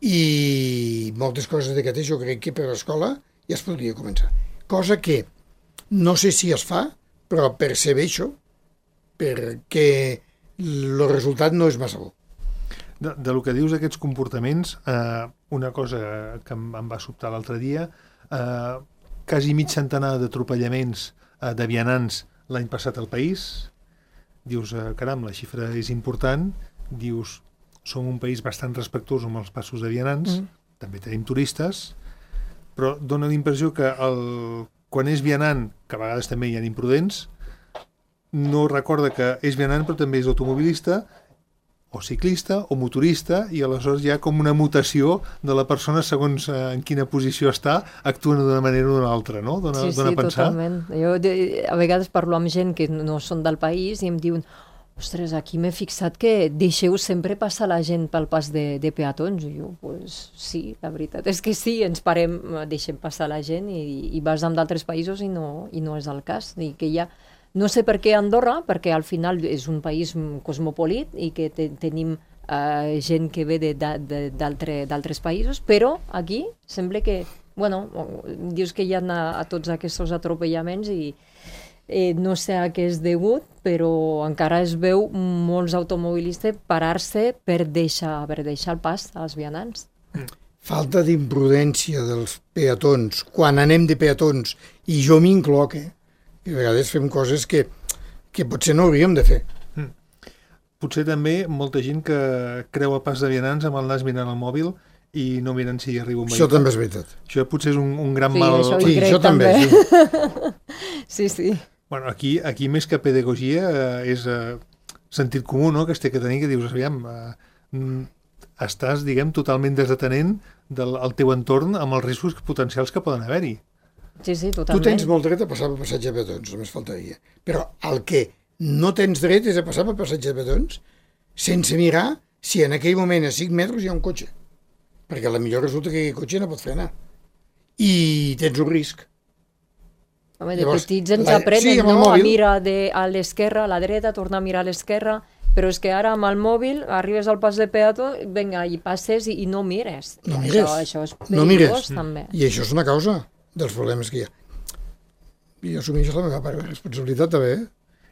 I moltes coses d'aquestes jo crec que per l'escola ja es podria començar. Cosa que no sé si es fa, però percebeixo perquè el resultat no és massa bo. De, de lo que dius d'aquests comportaments, eh, una cosa que em, em va sobtar l'altre dia, eh, quasi mig centenar d'atropellaments eh, de vianants l'any passat al país. Dius, eh, caram, la xifra és important, dius, som un país bastant respectuós amb els passos de vianants, mm. també tenim turistes, però dona la impressió que el, quan és vianant, que a vegades també hi ha imprudents, no recorda que és vianant però també és automobilista, o ciclista, o motorista, i aleshores hi ha com una mutació de la persona segons eh, en quina posició està, actuen d'una manera o d'una altra, no? Dona, sí, dona sí, a pensar. Totalment. Jo de, a vegades parlo amb gent que no són del país i em diuen, ostres, aquí m'he fixat que deixeu sempre passar la gent pel pas de, de peatons. I jo, pues, sí, la veritat és que sí, ens parem, deixem passar la gent i, i vas amb d'altres països i no, i no és el cas. I que hi ha... No sé per què Andorra, perquè al final és un país cosmopolit i que te, tenim uh, gent que ve d'altres països, però aquí sembla que, bueno, dius que hi ha a, a tots aquests atropellaments i eh, no sé a què és degut, però encara es veu molts automobilistes parar-se per deixar, per deixar el pas als vianants. Falta d'imprudència dels peatons, quan anem de peatons, i jo m'incloc, eh? I a vegades fem coses que, que potser no hauríem de fer. Mm. Potser també molta gent que creu el pas de vianants amb el nas mirant el mòbil i no miren si hi arriba un vehicle. Això també és veritat. Això potser és un, un gran sí, mal... Això sí, això també. també. Sí, sí. Bueno, aquí, aquí més que pedagogia eh, és eh, sentit comú, no?, que es té que tenir, que dius, aviam, eh, estàs, diguem, totalment desatenent del el teu entorn amb els riscos potencials que poden haver-hi. Sí, sí, totalment. Tu tens molt dret a passar per passatge de petons, només faltaria. Però el que no tens dret és a passar per passatge de petons sense mirar si en aquell moment a cinc metres hi ha un cotxe. Perquè a la millor resulta que aquell cotxe no pot frenar. I tens un risc. Home, de Llavors, petits ens la... aprenen, sí, no? A mirar de, a l'esquerra, a la dreta, tornar a mirar a l'esquerra, però és que ara amb el mòbil arribes al pas de peató, vinga, i passes i, i no mires. No mires. Això, això és perillós, no mires. També. I això és una causa dels problemes que hi ha. I assumeixo la meva part de responsabilitat també, eh?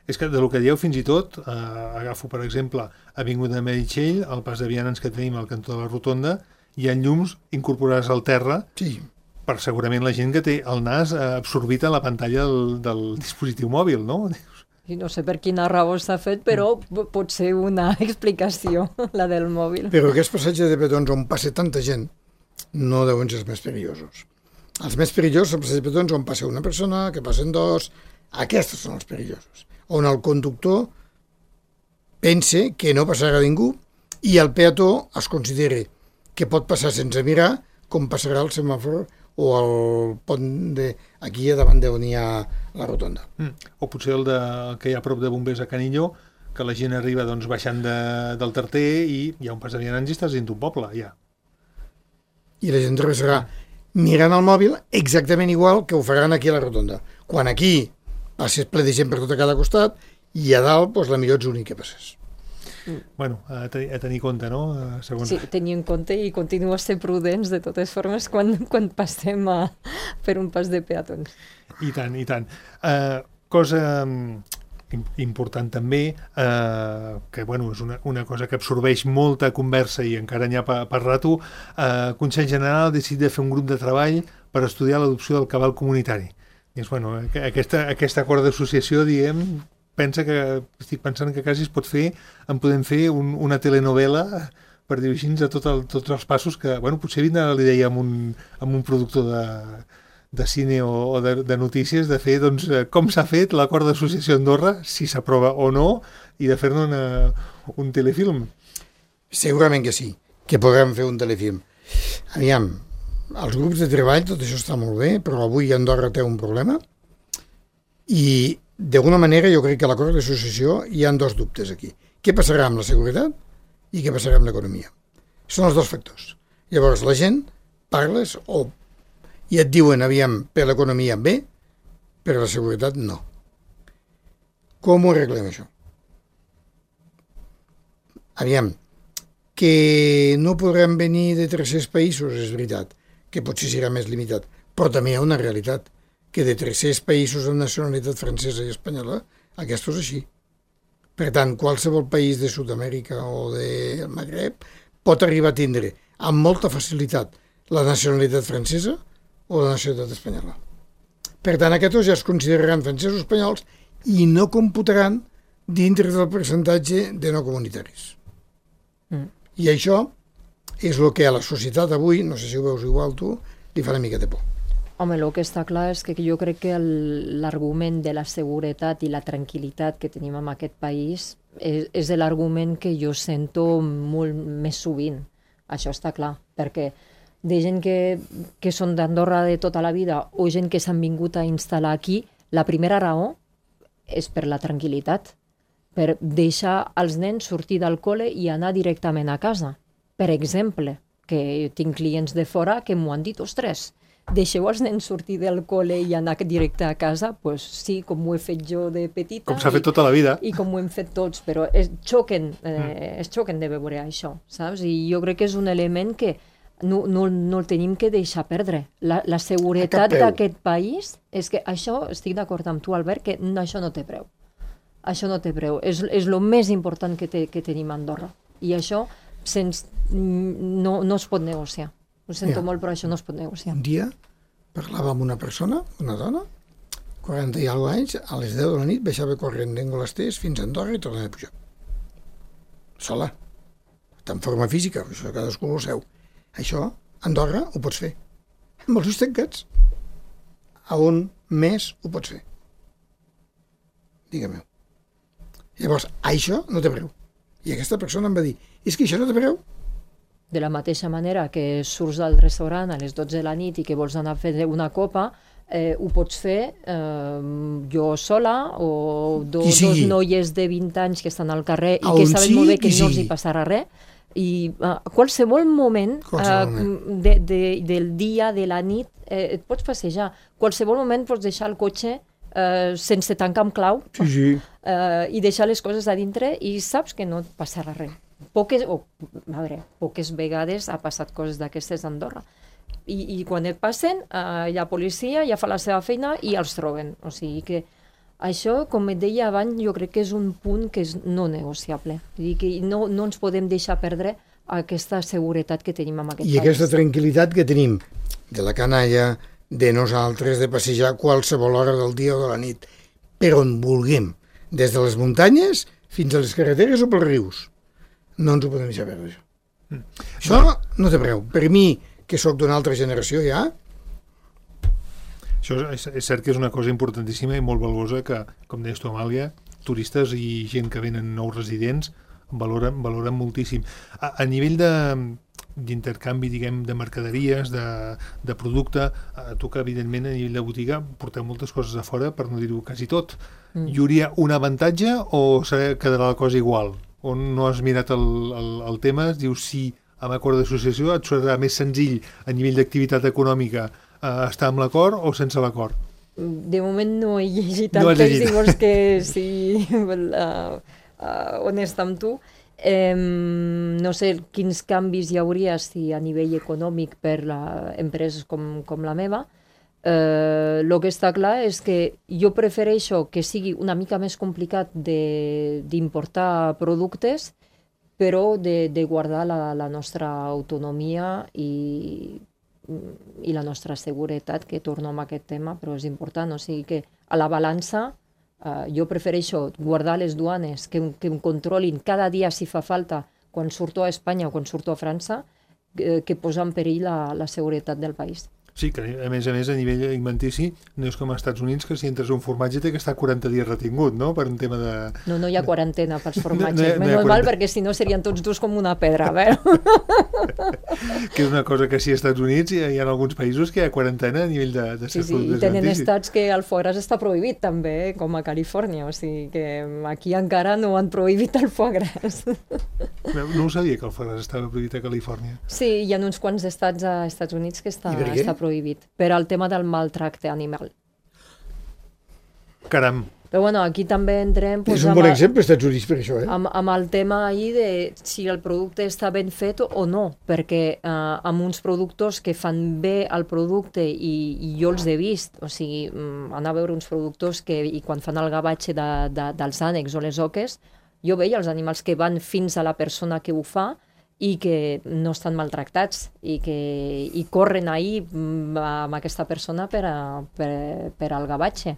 És que de lo que dieu fins i tot, eh, agafo per exemple Avinguda de Meritxell, el pas de vianants que tenim al cantó de la Rotonda, hi ha llums incorporats al terra, sí, per segurament la gent que té el nas absorbit a la pantalla del, del dispositiu mòbil, no? I no sé per quina raó s'ha fet, però pot ser una explicació, la del mòbil. Però aquests passatges de petons on passa tanta gent no deuen ser els més perillosos. Els més perillosos són els passatges de petons on passa una persona, que passen dos... Aquests són els perillosos. On el conductor pense que no passarà ningú i el peató es considera que pot passar sense mirar com passarà el semàfor o el pont de aquí a davant d'on hi ha la rotonda. Mm. O potser el, de, el que hi ha a prop de bombers a Canilló, que la gent arriba doncs, baixant de, del Tarter i hi ha un pas de vianants i estàs dins d'un poble, ja. I la gent travessarà mirant el mòbil exactament igual que ho faran aquí a la rotonda. Quan aquí passes ple de gent per tot a cada costat i a dalt, doncs, la millor ets l'únic que passes. bueno, a, te, a tenir compte, no? Segons... Sí, tenir en compte i continuar a ser prudents de totes formes quan, quan passem a, per un pas de peatons. I tant, i tant. Uh, cosa important també, eh, que bueno, és una, una cosa que absorbeix molta conversa i encara n'hi ha per, per rato, eh, Consell General ha decidit de fer un grup de treball per estudiar l'adopció del cabal comunitari. I és, bueno, aquesta, aquesta acord d'associació, diguem, pensa que, estic pensant que quasi es pot fer, en podem fer un, una telenovela, per dir-ho així, de tot el, tots els passos que, bueno, potser vindrà l'idea amb un, amb un productor de... de cine o, o de, de notícies, de fer doncs, com s'ha fet l'acord d'associació Andorra, si s'aprova o no, i de fer-ne una, un telefilm. Segurament que sí, que podrem fer un telefilm. Aviam, els grups de treball, tot això està molt bé, però avui Andorra té un problema i d'alguna manera jo crec que a l'acord d'associació hi ha dos dubtes aquí. Què passarà amb la seguretat i què passarà amb l'economia? Són els dos factors. Llavors la gent parles o i et diuen, aviam, per l'economia bé, per la seguretat no. Com ho arreglem, això? Aviam, que no podrem venir de tres-cents països, és veritat, que potser serà més limitat, però també hi ha una realitat, que de tres-cents països amb nacionalitat francesa i espanyola, aquest és així. Per tant, qualsevol país de Sud-amèrica o del Magreb pot arribar a tindre amb molta facilitat la nacionalitat francesa o la nacionalitat espanyola. Per tant, aquests ja es consideraran francesos espanyols i no computaran dintre del percentatge de no comunitaris. Mm. I això és el que a la societat avui, no sé si ho veus igual tu, li fa una mica de por. Home, el que està clar és que jo crec que l'argument de la seguretat i la tranquil·litat que tenim en aquest país és, és l'argument que jo sento molt més sovint. Això està clar, perquè de gent que, que són d'Andorra de tota la vida o gent que s'han vingut a instal·lar aquí, la primera raó és per la tranquil·litat, per deixar els nens sortir del col·le i anar directament a casa. Per exemple, que tinc clients de fora que m'ho han dit, ostres, deixeu els nens sortir del col·le i anar directe a casa? Doncs pues sí, com ho he fet jo de petita. Com s'ha fet tota la vida. I, i com ho hem fet tots, però es xoquen, eh, mm. es xoquen de veure això, saps? I jo crec que és un element que No, no, no el tenim que deixar perdre. La, la seguretat d'aquest país és que això, estic d'acord amb tu, Albert, que no, això no té preu. Això no té preu. És, és el més important que, te, que tenim a Andorra. I això sens, no, no es pot negociar. Ho sento ja. molt, però això no es pot negociar. Un dia parlava amb una persona, una dona, quaranta i alguna anys, a les deu de la nit baixava corrent d'Engolasters fins a Andorra i tornava a pujar. Sola. Està en forma física, això cadascú ho seu. Això, a Andorra, ho pots fer. Amb els ulls tancats. A un mes ho pots fer. Digue-m'ho. Llavors, això no té preu. I aquesta persona em va dir, és que això no té preu. De la mateixa manera que surts al restaurant a les dotze de la nit i que vols anar a fer una copa, eh, ho pots fer eh, jo sola o do, dos noies de vint anys que estan al carrer i que saben sí, molt bé que no els hi passarà res. I a uh, qualsevol moment, qualsevol uh, moment. De, de, del dia, de la nit, eh, et pots passejar. Qualsevol moment pots deixar el cotxe uh, sense tancar amb clau sí, sí. Uh, i deixar les coses a dintre i saps que no et passarà res. Poques, o, a veure, poques vegades ha passat coses d'aquestes a Andorra. I, I quan et passen, uh, hi ha policia, ja fa la seva feina i els troben. O sigui que això, com et deia abans, jo crec que és un punt que és no negociable. Vull dir que no, no ens podem deixar perdre aquesta seguretat que tenim en aquest I país. I aquesta tranquil·litat que tenim de la canalla, de nosaltres, de passejar qualsevol hora del dia o de la nit, per on vulguem, des de les muntanyes fins a les carreteres o pels rius. No ens ho podem deixar perdre, això. Mm. Això no té preu. Per mi, que sóc d'una altra generació ja, això és, és cert que és una cosa importantíssima i molt valuosa que, com deies tu, Amàlia, turistes i gent que venen nous residents valoren, valoren moltíssim. A, a nivell de, d'intercanvi, diguem, de mercaderies, de, de producte, a tu que, evidentment, a nivell de botiga porteu moltes coses a fora, per no dir-ho quasi tot. Mm. Hi hauria un avantatge o serà, quedarà la cosa igual? O no has mirat el, el, el tema? Dius, sí, amb acord d'associació et serà més senzill a nivell d'activitat econòmica Uh, estar amb l'acord o sense l'acord? De moment no he llegit el no text, llavors que sí, uh, uh, honest amb tu. Eh, no sé quins canvis hi hauria si a nivell econòmic per a empreses com, com la meva. El eh, que està clar és que jo prefereixo que sigui una mica més complicat d'importar productes, però de, de guardar la, la nostra autonomia i, i la nostra seguretat, que torno amb aquest tema, però és important. O sigui que a la balança uh, jo prefereixo guardar les duanes, que, que em controlin cada dia si fa falta quan surto a Espanya o quan surto a França, que, que posar en perill la, la seguretat del país. Sí, que a més a més a nivell alimentici no és com als Estats Units, que si entres un formatge té que estar quaranta dies retingut, no?, per un tema de... No, no hi ha quarantena pels formatges, no, no, no menys mal, perquè si no serien tots dos com una pedra, a veure. Que és una cosa que sí, als Estats Units hi ha, hi ha alguns països que hi ha quarantena a nivell de, de sí, sí, i tenen estats que el foie gras està prohibit també, com a Califòrnia, o sigui que aquí encara no han prohibit el foie gras. No, no ho sabia, que el foie gras estava prohibit a Califòrnia. Sí, hi ha uns quants estats a Estats Units que està, està prohibit, per al tema del maltracte animal. Caram. Però bueno, aquí també entrem... Pues, és un bon el, exemple, als Estats Units, per això, eh? Amb, amb el tema ahir de si el producte està ben fet o no, perquè eh, amb uns productors que fan bé el producte i, i jo els he vist, o sigui, anar a veure uns productors que i quan fan el gavatge de, de, dels ànecs o les oques, jo veia els animals que van fins a la persona que ho fa i que no estan maltractats i que i corren ahir amb aquesta persona per, a, per, per al gavatge.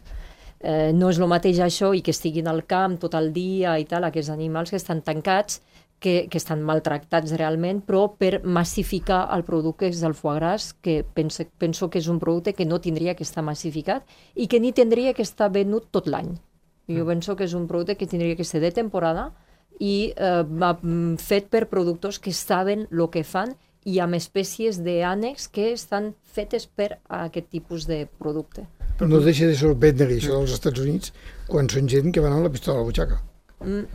Eh, no és el mateix això i que estiguin al camp tot el dia i tal, aquests animals que estan tancats, que, que estan maltractats realment, però per massificar el producte que és el foie gras, que penso, penso que és un producte que no tindria que estar massificat i que ni tindria que estar venut tot l'any. Jo penso que és un producte que tindria que ser de temporada i eh, fet per productors que saben el que fan i amb espècies d'ànecs que estan fetes per a aquest tipus de producte. Però no deixa de sorprendre això dels Estats Units quan són gent que van amb la pistola a la butxaca. Mm.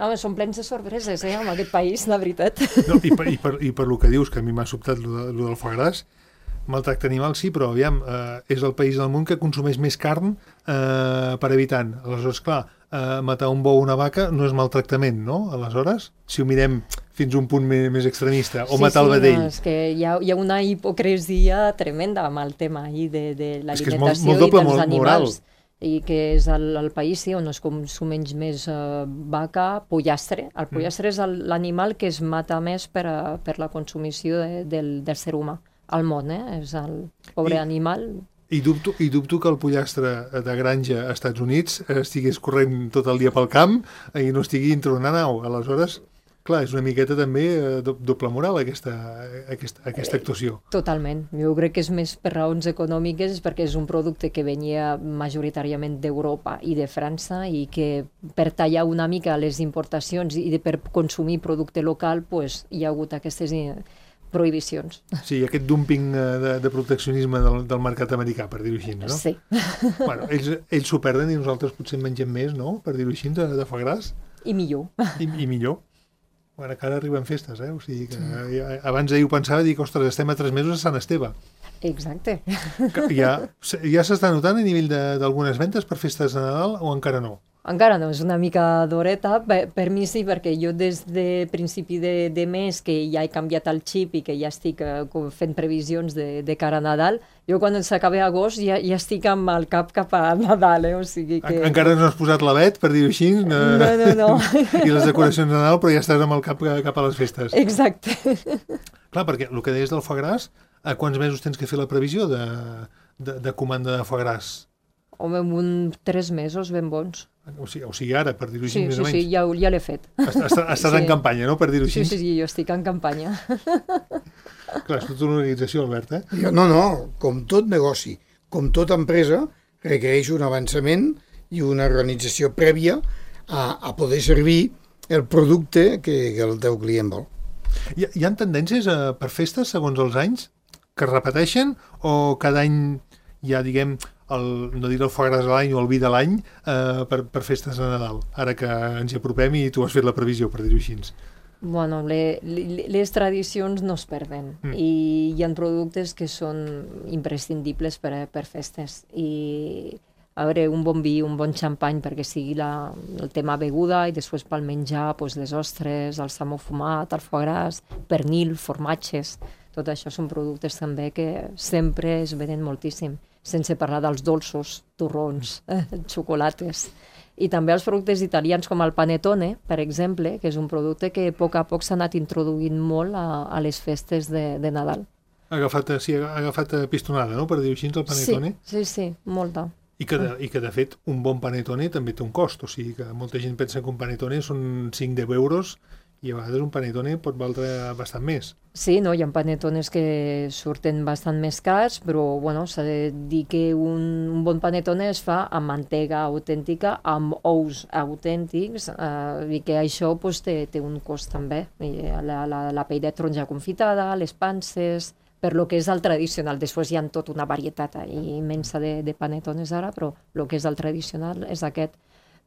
Home, són plens de sorpreses, eh, en aquest país, la veritat. No, i, per, i, per, I per lo que dius, que a mi m'ha sobtat lo, de, lo del foie gras, maltracte animal sí, però aviam, eh, és el país del món que consumeix més carn eh, per habitant. Aleshores, clar, eh, matar un bou o una vaca no és maltractament, no? Aleshores, si ho mirem fins a un punt més, més extremista, o sí, matar sí, el vedell. No, és que hi ha, hi ha una hipocresia tremenda amb el tema ahir de, de l'alimentació i dels animals. Moral. I que és el, el país sí, on es consumeix més uh, vaca, pollastre. El pollastre mm. és l'animal que es mata més per, a, per la consumició de, del, del ser humà al món, eh? És el pobre I, animal. I dubto, I dubto que el pollastre de granja als Estats Units estigués corrent tot el dia pel camp i no estigui dintre una nau. Aleshores, clar, és una miqueta també doble moral aquesta, aquesta, aquesta actuació. Totalment. Jo crec que és més per raons econòmiques, perquè és un producte que venia majoritàriament d'Europa i de França i que per tallar una mica les importacions i de, per consumir producte local, pues, hi ha hagut aquestes prohibicions. Sí, aquest dumping de, de proteccionisme del, del mercat americà, per dir-ho així, no? Sí. Bueno, ells, ells s'ho perden i nosaltres potser en mengem més, no?, per dir-ho així, de, de foie gras. I millor. I, i millor. Bueno, que ara arriben festes, eh? O sigui que sí. Abans ahir ho pensava i dic, ostres, estem a tres mesos a Sant Esteve. Exacte. Que ja ja s'està notant a nivell d'algunes ventes per festes de Nadal o encara no? Encara no, és una mica d'horeta. Per, per mi sí, perquè jo des de principi de, de mes que ja he canviat el xip i que ja estic uh, fent previsions de, de cara a Nadal, jo quan s'acabi agost ja, ja estic amb el cap cap a Nadal, eh? O sigui que... En, encara no has posat l'avet, per dir-ho així? No, no, no. no. I les decoracions de Nadal, però ja estàs amb el cap cap a les festes. Exacte. Clar, perquè el que deies del foie gras, a quants mesos tens que fer la previsió de, de, de comanda de foie gras? Home, un tres mesos ben bons. O sigui, o sigui ara, per dir-ho així, sí, més sí, o menys. Sí, sí, ja, ja l'he fet. Estàs, estàs sí. en campanya, no?, per dir-ho així. Sí, sí, sí, jo estic en campanya. Clar, és tota una organització, Albert, eh? No, no, com tot negoci, com tota empresa, requereix un avançament i una organització prèvia a, a poder servir el producte que, que el teu client vol. Hi, hi ha tendències a, per festes, segons els anys, que es repeteixen o cada any hi ha, diguem, el, no dir el foie gras de l'any o el vi de l'any eh, per, per festes de Nadal, ara que ens hi apropem i tu has fet la previsió, per dir-ho així. Bueno, le, le, les tradicions no es perden mm. i hi ha productes que són imprescindibles per, per festes i a veure, un bon vi, un bon xampany perquè sigui la, el tema beguda i després pel menjar, doncs, les ostres, el salmó fumat, el foie gras, pernil, formatges, tot això són productes també que sempre es venen moltíssim, sense parlar dels dolços, torrons, eh, xocolates. I també els productes italians com el panettone, per exemple, que és un producte que a poc a poc s'ha anat introduint molt a, a les festes de, de Nadal. Ha agafat, sí, ha agafat pistonada, no?, per dir-ho així, el panettone. Sí, sí, sí, molta. I que, de, I que, de fet, un bon panettone també té un cost, o sigui que molta gent pensa que un panettone són cinc a deu euros i a vegades un panettone pot valdre bastant més. Sí, no, hi ha panettones que surten bastant més cars, però bueno, s'ha de dir que un, un bon panettone es fa amb mantega autèntica, amb ous autèntics, eh, i que això pues, té, té un cost també. I la, la, la pell de taronja confitada, les panses, per lo que és el tradicional. Després hi ha tota una varietat immensa de, de panettones ara, però el que és el tradicional és aquest.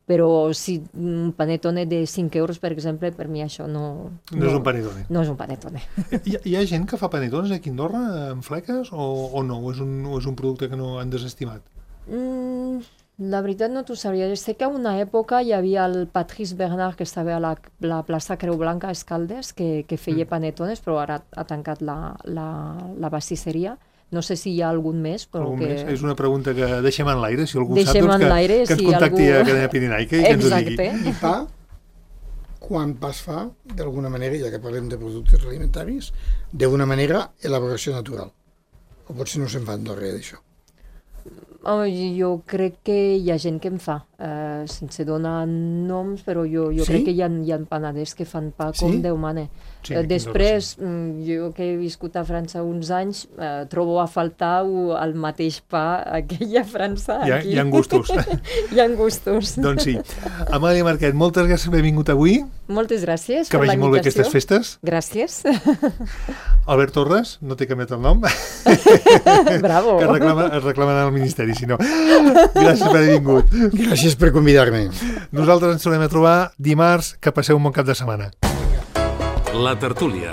Però si un panettone de cinc euros, per exemple, per mi això no... No, no és un panettone. No és un panettone. Hi, hi ha gent que fa panettones aquí a Andorra amb fleques o, o no? O és, un, o és un producte que no han desestimat? Mm, la veritat no t'ho sabria. Jo sé que a una època hi havia el Patrice Bernard, que estava a la, la plaça Creu Blanca a Escaldes, que, que feia mm. panettones, però ara ha tancat la, la, la pastisseria. No sé si hi ha algun més, però algun que... més? És una pregunta que deixem en l'aire, si algú deixem sap, doncs que, que ens si contacti algú... a Acadèmia Pirenaica i que ens ho digui. Exacte. I pa, quan pa es fa, d'alguna manera, ja que parlem de productes alimentaris, d'una manera, elaboració natural. O potser no se'n fa en res d'això. Oh, jo crec que hi ha gent que en fa, eh, sense donar noms, però jo, jo sí? crec que hi ha, hi ha panaders que fan pa com sí? Déu mane. Sí, eh, després, sí. jo que he viscut a França uns anys, eh, trobo a faltar el mateix pa que hi ha a França. Hi ha, aquí. Hi ha gustos. Hi ha gustos. Doncs sí. Amàlia Marquet, moltes gràcies per haver vingut avui. Moltes gràcies que per la invitació. Que vagi molt bé aquestes festes. Gràcies. Albert Torres, no t'he canviat el nom. Bravo. Que es reclama, es reclamen al Ministeri, si no. Gràcies per haver vingut. Gràcies per convidar-me. Nosaltres ens tornem a trobar dimarts. Que passeu un bon cap de setmana. La tertúlia,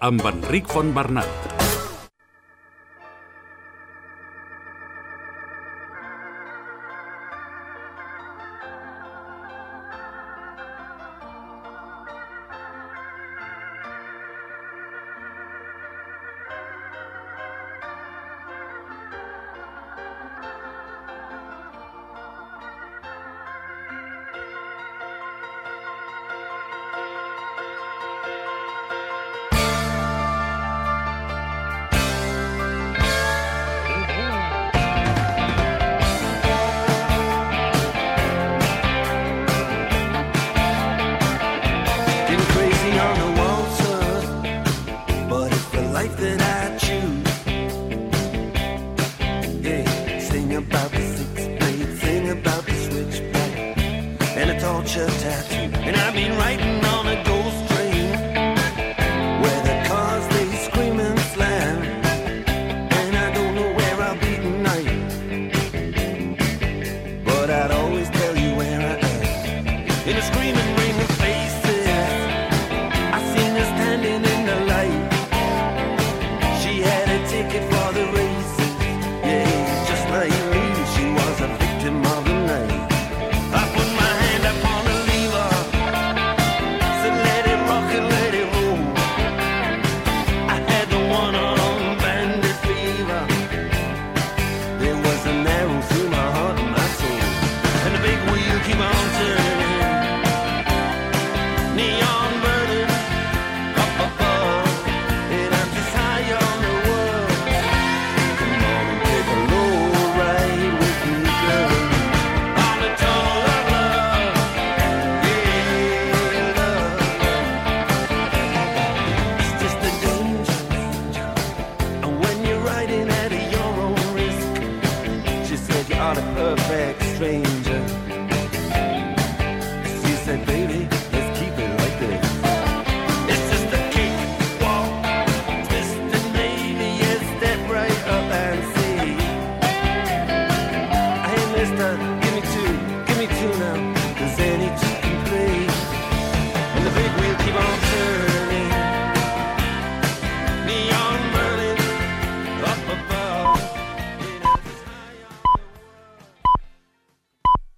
amb Enric Fontbernat. In a screaming